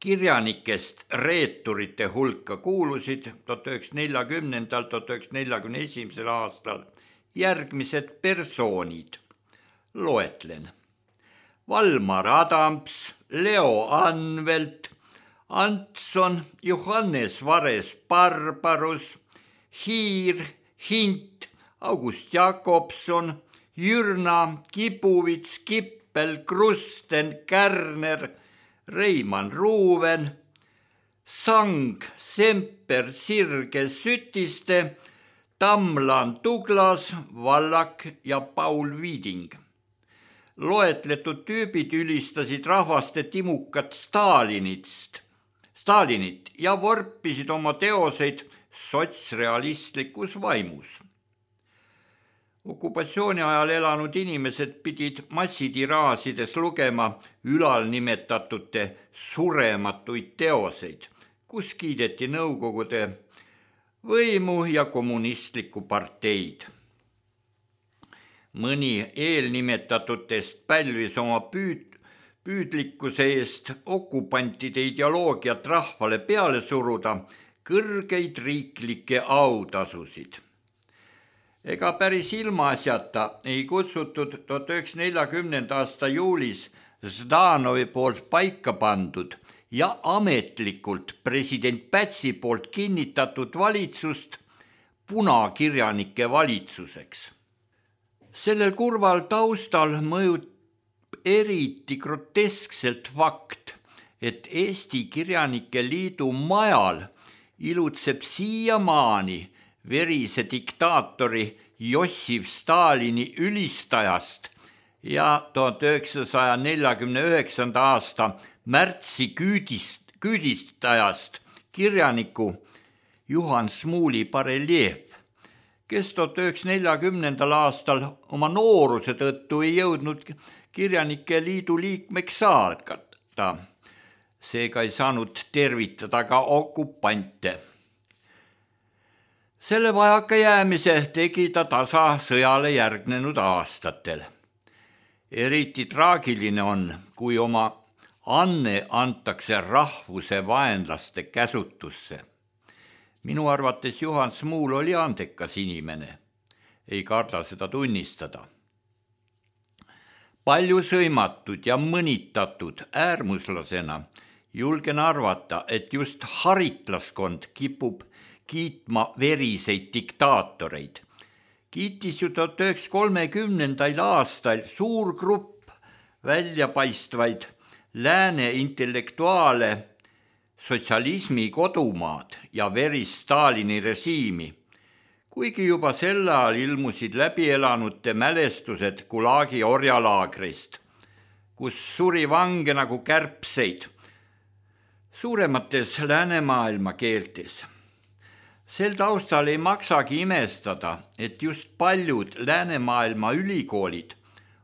Kirjanikest reeturite hulka kuulusid 1940–1941 aastal järgmised persoonid. Loetlen. Valmar Adams, Leo Anvelt, Antson, Johannes Vares Barbarus, Hiir, Hint, August Jakobson, Jürna, Kibuvits, Kippel, Krusten, Kärner, Reimann Ruuven, Sang, Semper, Sirge, Sütiste, Tamlan, Douglas, Vallak ja Paul Viiding. Loetletud tüübid ülistasid rahvaste timukat Stalinit ja vorpisid oma teoseid sotsrealistlikus vaimus. Okupatsiooni ajal elanud inimesed pidid massitiraasides lugema ülalnimetatute surematuid teoseid, kus kiideti Nõukogude võimu ja kommunistlikku parteid. Mõni eelnimetatutest pälvis oma püüdlikkuse eest okupantide ideoloogiat rahvale peale suruda kõrgeid riiklikke autasusid. Ega päris ilmaasjata ei kutsutud 1940. aasta juulis Ždanovi poolt paika pandud ja ametlikult president Pätsi poolt kinnitatud valitsust punakirjanike valitsuseks. Sellel kurval taustal mõjub eriti groteskselt fakt, et Eesti Kirjanike Liidu majal ilutseb siiamaani verise diktaatori Jossif Stalini ülistajast ja 1949. aasta märtsi küüdistajast kirjaniku Juhan Smuuli bareljeef, kes 1940. aastal oma nooruse tõttu ei jõudnud Kirjanike Liidu liikmeks saada. Seega ei saanud tervitada ka okupante. Selle vajaka jäämise tegi ta tasa sõjale järgnenud aastatel. Eriti traagiline on, kui oma anne antakse rahvuse vaenlaste käsutusse. Minu arvates Juhan Smuul oli andekas inimene. Ei karda seda tunnistada. Palju sõimatud ja mõnitatud äärmuslasena julgen arvata, et just haritlaskond kipub kiitma veriseid diktaatoreid. Kiitis ju 1930. aastal suur grupp väljapaistvaid lääne intellektuaale sotsialismi kodumaad ja verist Stalini režiimi, kuigi juba sel ajal ilmusid läbielanute mälestused Gulagi orjalaagrist, kus suri vange nagu kärbseid suuremates läänemaailma keeltes. Sel taustal ei maksagi imestada, et just paljud läänemaailma ülikoolid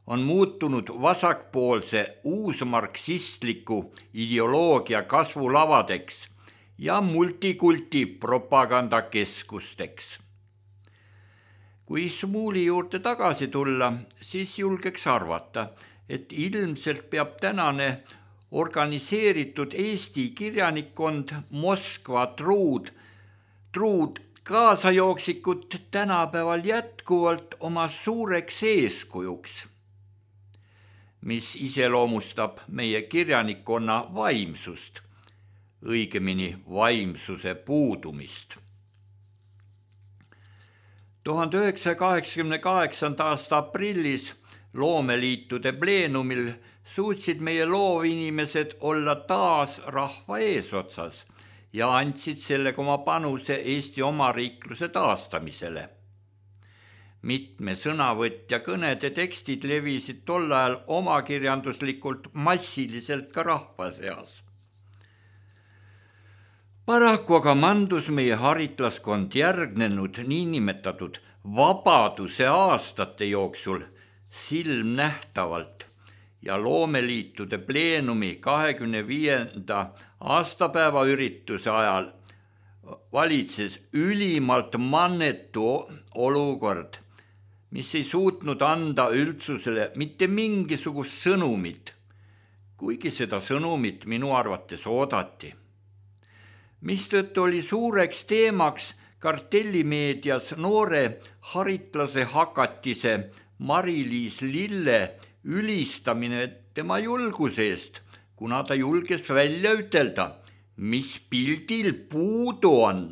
on muutunud vasakpoolse uusmarksistliku ideoloogia kasvulavadeks ja multikulti propagandakeskusteks. Kui Smuuli juurde tagasi tulla, siis julgeks arvata, et ilmselt peab tänane organiseeritud Eesti kirjanikkond Moskva truud kaasajooksikut tänapäeval jätkuvalt oma suureks eeskujuks, mis iseloomustab meie kirjanikkonna vaimsust, õigemini vaimsuse puudumist. 1988. aasta aprillis loomeliitude pleenumil suutsid meie loovinimesed olla taas rahva eesotsas ja andsid sellega oma panuse Eesti omariikluse taastamisele. Mitme sõnavõtja kõnede tekstid levisid tol ajal omakirjanduslikult massiliselt ka rahva seas. Paraku aga mandus meie haritlaskond järgnenud niinimetatud vabaduse aastate jooksul silmnähtavalt ja loomeliitude pleenumi 25. aastapäeva ürituse ajal valitses ülimalt mannetu olukord, mis ei suutnud anda üldsusele mitte mingisugust sõnumit, kuigi seda sõnumit minu arvates oodati. Mistõttu oli suureks teemaks kartellimeedias noore haritlase hakatise Mari-Liis Lille ülistamine tema julguse eest, kuna ta julges välja ütelda, mis pildil puudu on.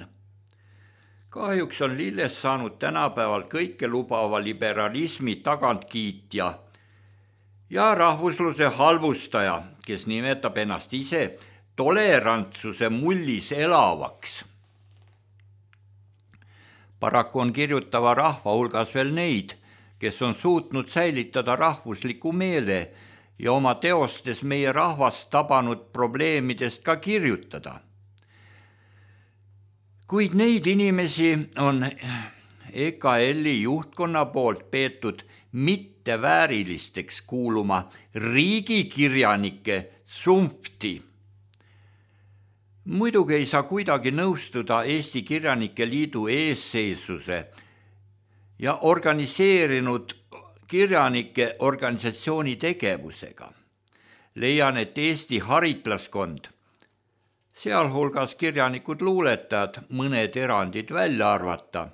Kahjuks on Lillest saanud tänapäeval kõike lubava liberalismi tagantkiitja ja rahvusluse halvustaja, kes nimetab ennast ise tolerantsuse mullis elavaks. Paraku on kirjutava rahva hulgas veel neid, kes on suutnud säilitada rahvusliku meele ja oma teostes meie rahvast tabanud probleemidest ka kirjutada. Kuid neid inimesi on EKL-i juhtkonna poolt peetud mitteväärilisteks kuuluma riigikirjanike sumpti. Muidugi ei saa kuidagi nõustuda Eesti Kirjanike Liidu eesseisuse ja organiseerinud kirjanike organisatsiooni tegevusega. Leian, et Eesti haritlaskond, sealhulgas kirjanikud luuletajad, mõned erandid välja arvata,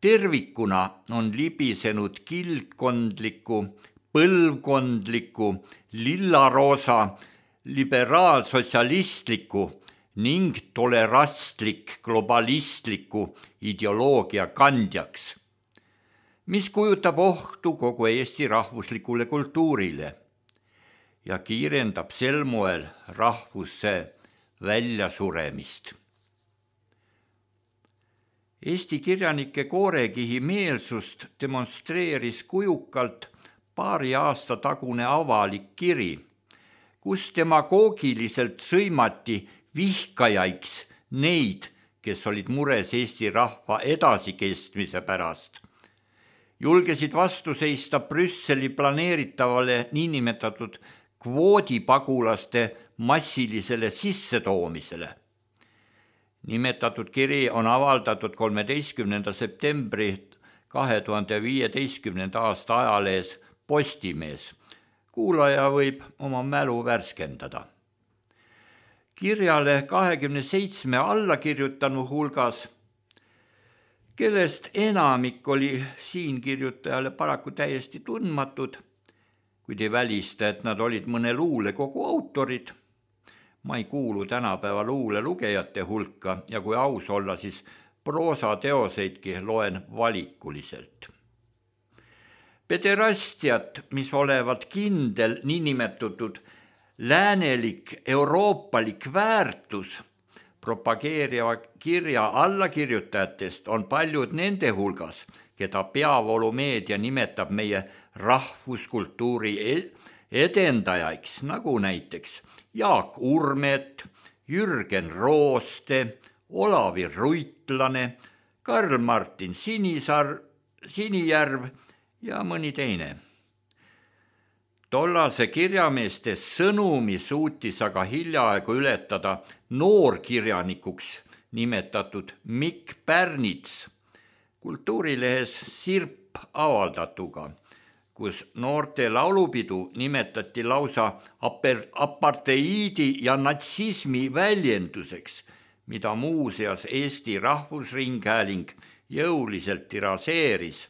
tervikuna on libisenud kildkondliku, põlvkondliku, lillaroosa, liberaalsotsialistliku ning tolerastlik globalistliku ideoloogia kandjaks, mis kujutab ohtu kogu Eesti rahvuslikule kultuurile ja kiirendab sel moel rahvuse väljasuremist. Eesti kirjanike koorekihi meelsust demonstreeris kujukalt paari aasta tagune avalik kiri, kus demagoogiliselt sõimati vihkajaiks neid, kes olid mures Eesti rahva edasikestmise pärast. Julgesid vastu seista Brüsseli planeeritavale niinimetatud kvoodipagulaste massilisele sissetoomisele. Nimetatud kiri on avaldatud 13. septembri 2015. aasta ajalehes Postimees. Kuulaja võib oma mälu värskendada. Kirjale 27 allakirjutanu hulgas, kellest enamik oli siinkirjutajale paraku täiesti tundmatud, kuid ei välista, et nad olid mõne luulekogu autorid. Ma ei kuulu tänapäeva luule lugejate hulka ja kui aus olla, siis proosateoseidki loen valikuliselt. Pederastiat, mis olevat kindel niinimetatud läänelik euroopalik väärtus, propageeriva kirja allakirjutajatest on paljud nende hulgas, keda peavoolumeedia nimetab meie rahvuskultuuri edendajaiks, nagu näiteks Jaak Urmet, Jürgen Rooste, Olavi Ruitlane, Karl-Martin Sinijärv ja mõni teine. Tollase kirjameeste sõnumi suutis aga hiljaaegu ületada noorkirjanikuks nimetatud Mikk Pärnits kultuurilehes Sirp avaldatuga, kus noorte laulupidu nimetati lausa aparteiidi ja natsismi väljenduseks, mida muuseas Eesti Rahvusringhääling jõuliselt tiraseeris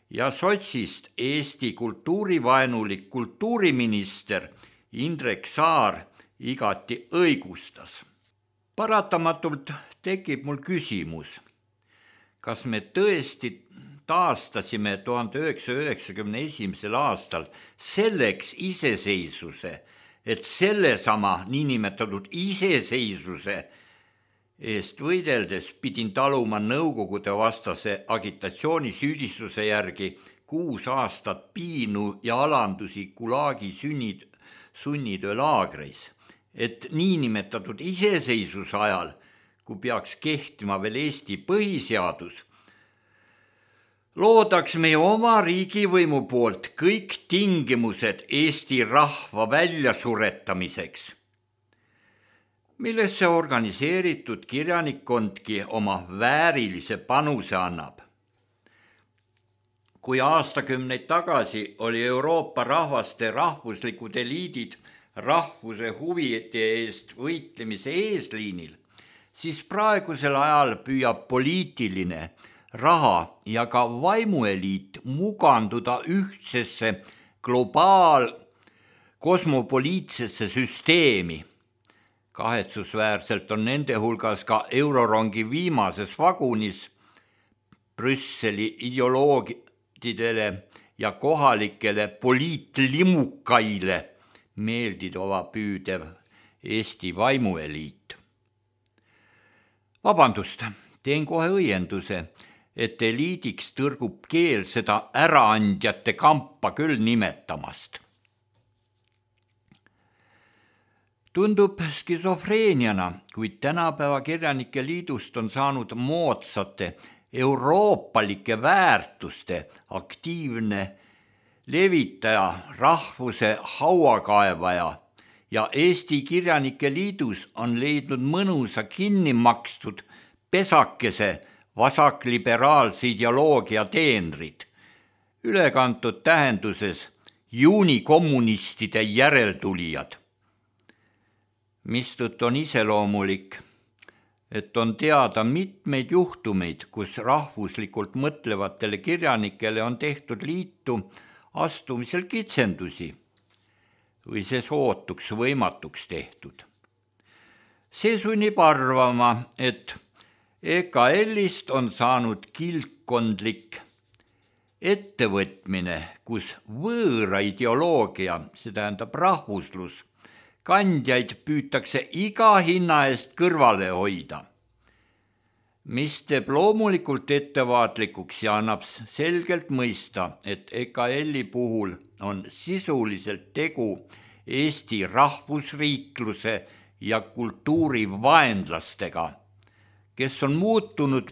ja sotsist Eesti kultuurivaenulik kultuuriminister Indrek Saar igati õigustas. Paratamatult tekib mul küsimus, kas me tõesti taastasime 1991. aastal selleks iseseisvuse, et sellesama niinimetatud iseseisvuse eest võideldes pidin taluma Nõukogude vastase agitatsiooni süüdistuse järgi 6 aastat piinu ja alandusi Gulagi sunnitöölaagreis, et niinimetatud iseseisvuse ajal, kui peaks kehtima veel Eesti põhiseadus, loodaks meie oma riigivõimu poolt kõik tingimused Eesti rahva väljasuretamiseks, millesse organiseeritud kirjanikkondki oma väärilise panuse annab. Kui aastakümneid tagasi oli Euroopa rahvaste rahvuslikud eliidid rahvuse huvide eest võitlemise eesliinil, siis praegusel ajal püüab poliitiline, raha ja ka vaimueliit muganduda ühtsesse kosmopoliitsesse süsteemi. Kahetsusväärselt on nende hulgas ka eurorongi viimases vagunis Brüsseli ideoloogidele ja kohalikele poliitlimukaile meeldida püüdev Eesti vaimueliit. Vabandust, teen kohe õienduse, et eliidiks tõrgub keel seda äraandjate kampa küll nimetamast. Tundub skisofreeniana, kuid tänapäeva kirjanike liidust on saanud moodsate euroopalike väärtuste aktiivne levitaja, rahvuse hauakaevaja ja Eesti Kirjanike Liidus on leidnud mõnusa kinni makstud pesakese vasakliberaalse ideoloogia teenrid, ülekantud tähenduses juunikommunistide järeltulijad. Mistõttu on iseloomulik, et on teada mitmeid juhtumeid, kus rahvuslikult mõtlevatele kirjanikele on tehtud liitu astumisel kitsendusi või see sootuks võimatuks tehtud. See sunnib arvama, et EKL-ist on saanud kilpkondlik ettevõtmine, kus võõra ideoloogia, see tähendab rahvuslus, kandjaid püütakse iga hinna eest kõrvale hoida, mis teeb loomulikult ettevaatlikuks ja annab selgelt mõista, et EKL-i puhul on sisuliselt tegu Eesti rahvusriikluse ja kultuuri vaenlastega, kes on muutunud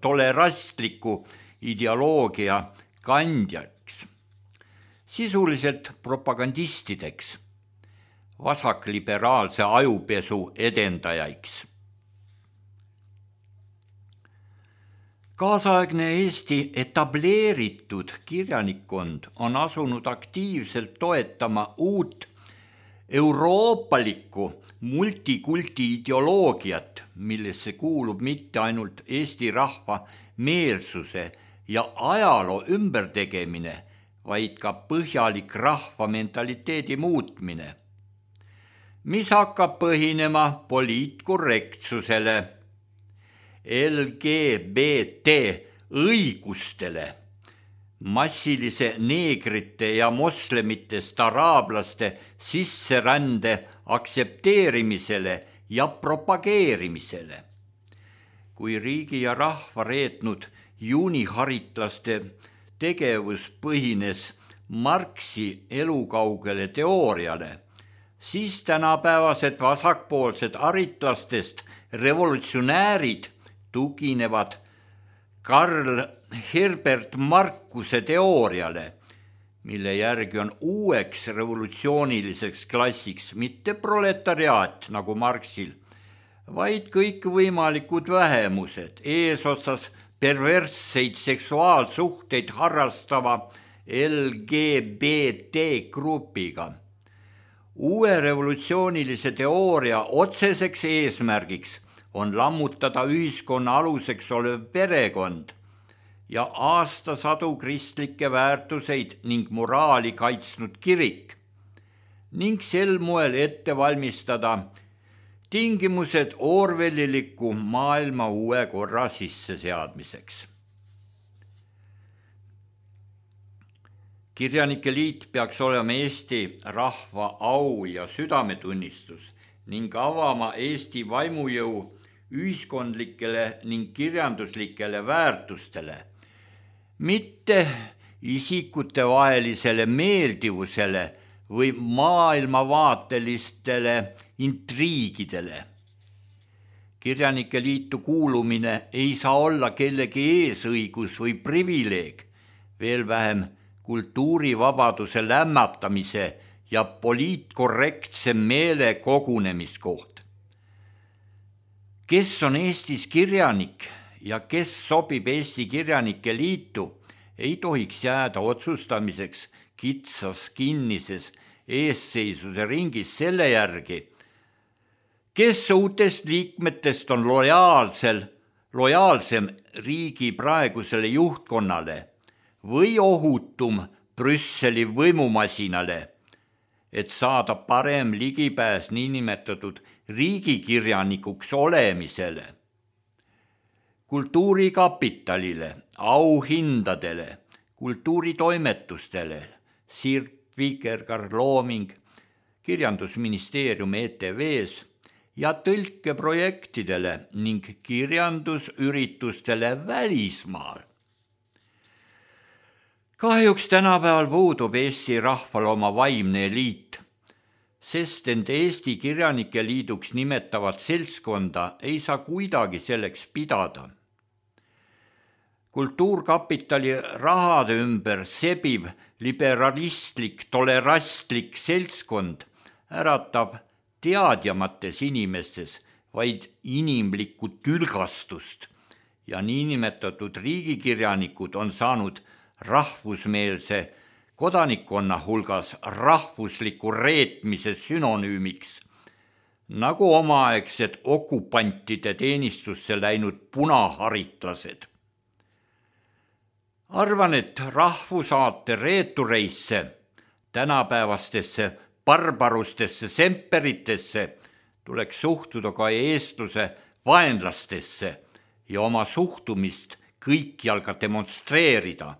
tolerastliku ideoloogia kandjaks, sisuliselt propagandistideks, vasakliberaalse ajupesu edendajaiks. Kaasaegne Eesti etableeritud kirjanikkond on asunud aktiivselt toetama uut euroopalikku multikulti ideoloogiat, millesse kuulub mitte ainult Eesti rahva meelsuse ja ajaloo ümbertegemine, vaid ka põhjalik rahva mentaliteedi muutmine, mis hakkab põhinema poliitkorrektsusele, LGBT õigustele, massilise neegrite ja moslemitest araablaste sisserände aktsepteerimisele ja propageerimisele. Kui riigi ja rahva reetnud juuniharitlaste tegevus põhines Marxi elukaugele teooriale, siis tänapäevased vasakpoolsed haritlastest revolutsionäärid tuginevad Karl Herbert Markuse teooriale, mille järgi on uueks revolutsiooniliseks klassiks mitte proletariaat nagu Marxil, vaid kõikvõimalikud vähemused, eesotsas perversseid seksuaalsuhteid harrastava LGBT grupiga. Uue revolutsioonilise teooria otseseks eesmärgiks on lammutada ühiskonna aluseks olev perekond ja aastasadu kristlikke väärtuseid ning moraali kaitsnud kirik ning sel moel ette valmistada tingimused orwelliliku maailma uue korra sisseseadmiseks. Kirjanike liit peaks olema Eesti rahva au ja südametunnistus ning avama Eesti vaimujõu ühiskondlikele ning kirjanduslikele väärtustele, mitte isikutevahelisele meeldivusele või maailmavaatelistele intriigidele. Kirjanike liitu kuulumine ei saa olla kellegi eesõigus või privileeg, veel vähem kultuurivabaduse lämmatamise ja poliitkorrektse meele kogunemiskoht. Kes on Eestis kirjanik ja kes sobib Eesti Kirjanike Liitu, ei tohiks jääda otsustamiseks kitsas kinnises eesseisuse ringis selle järgi, kes uutest liikmetest on lojaalsem riigi praegusele juhtkonnale või ohutum Brüsseli võimumasinale, et saada parem ligipääs niinimetatud riigikirjanikuks olemisele. Kultuurikapitalile, auhindadele, kultuuritoimetustele, Sirt Vikergar Looming, Kirjandusministeerium ETV-s ja tõlkeprojektidele ning kirjandusüritustele välismaal. Kahjuks tänapäeval puudub Eesti rahval oma vaimne eliit, sest end Eesti Kirjanike Liiduks nimetavat seltskonda ei saa kuidagi selleks pidada. Kultuurkapitali rahade ümber sebiv liberalistlik, tolerastlik seltskond äratab teadjamates inimestes vaid inimlikku tülgastust ja niinimetatud riigikirjanikud on saanud rahvusmeelse kodanikkonna hulgas rahvusliku reetmise sünonüümiks, nagu omaaegsed okupantide teenistusse läinud punaharitlased. Arvan, et rahvusaate reetureisse, tänapäevastesse barbarustesse semperitesse tuleks suhtuda ka eestluse vaenlastesse ja oma suhtumist kõikjal ka demonstreerida.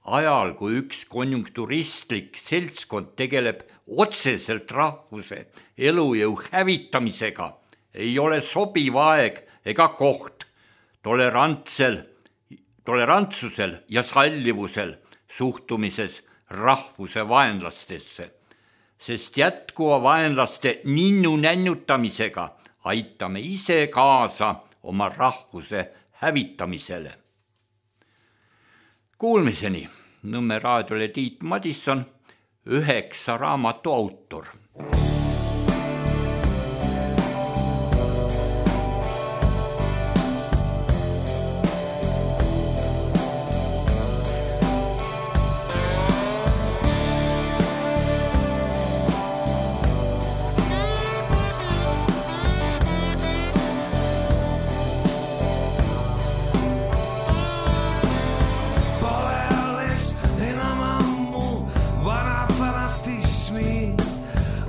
Ajal, kui üks konjunkturistlik seltskond tegeleb otseselt rahvuse elujõu hävitamisega, ei ole sobiv aeg ega koht tolerantsusel ja sallivusel suhtumises rahvuse vaenlastesse, sest jätkuva vaenlaste ninnu nännutamisega aitame ise kaasa oma rahvuse hävitamisele. Kuulmiseni, Nõmme raadiole Tiit Madisson, 9 raamatu autor.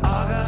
Aga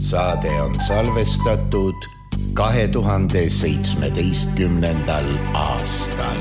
saade on salvestatud 2017. aastal.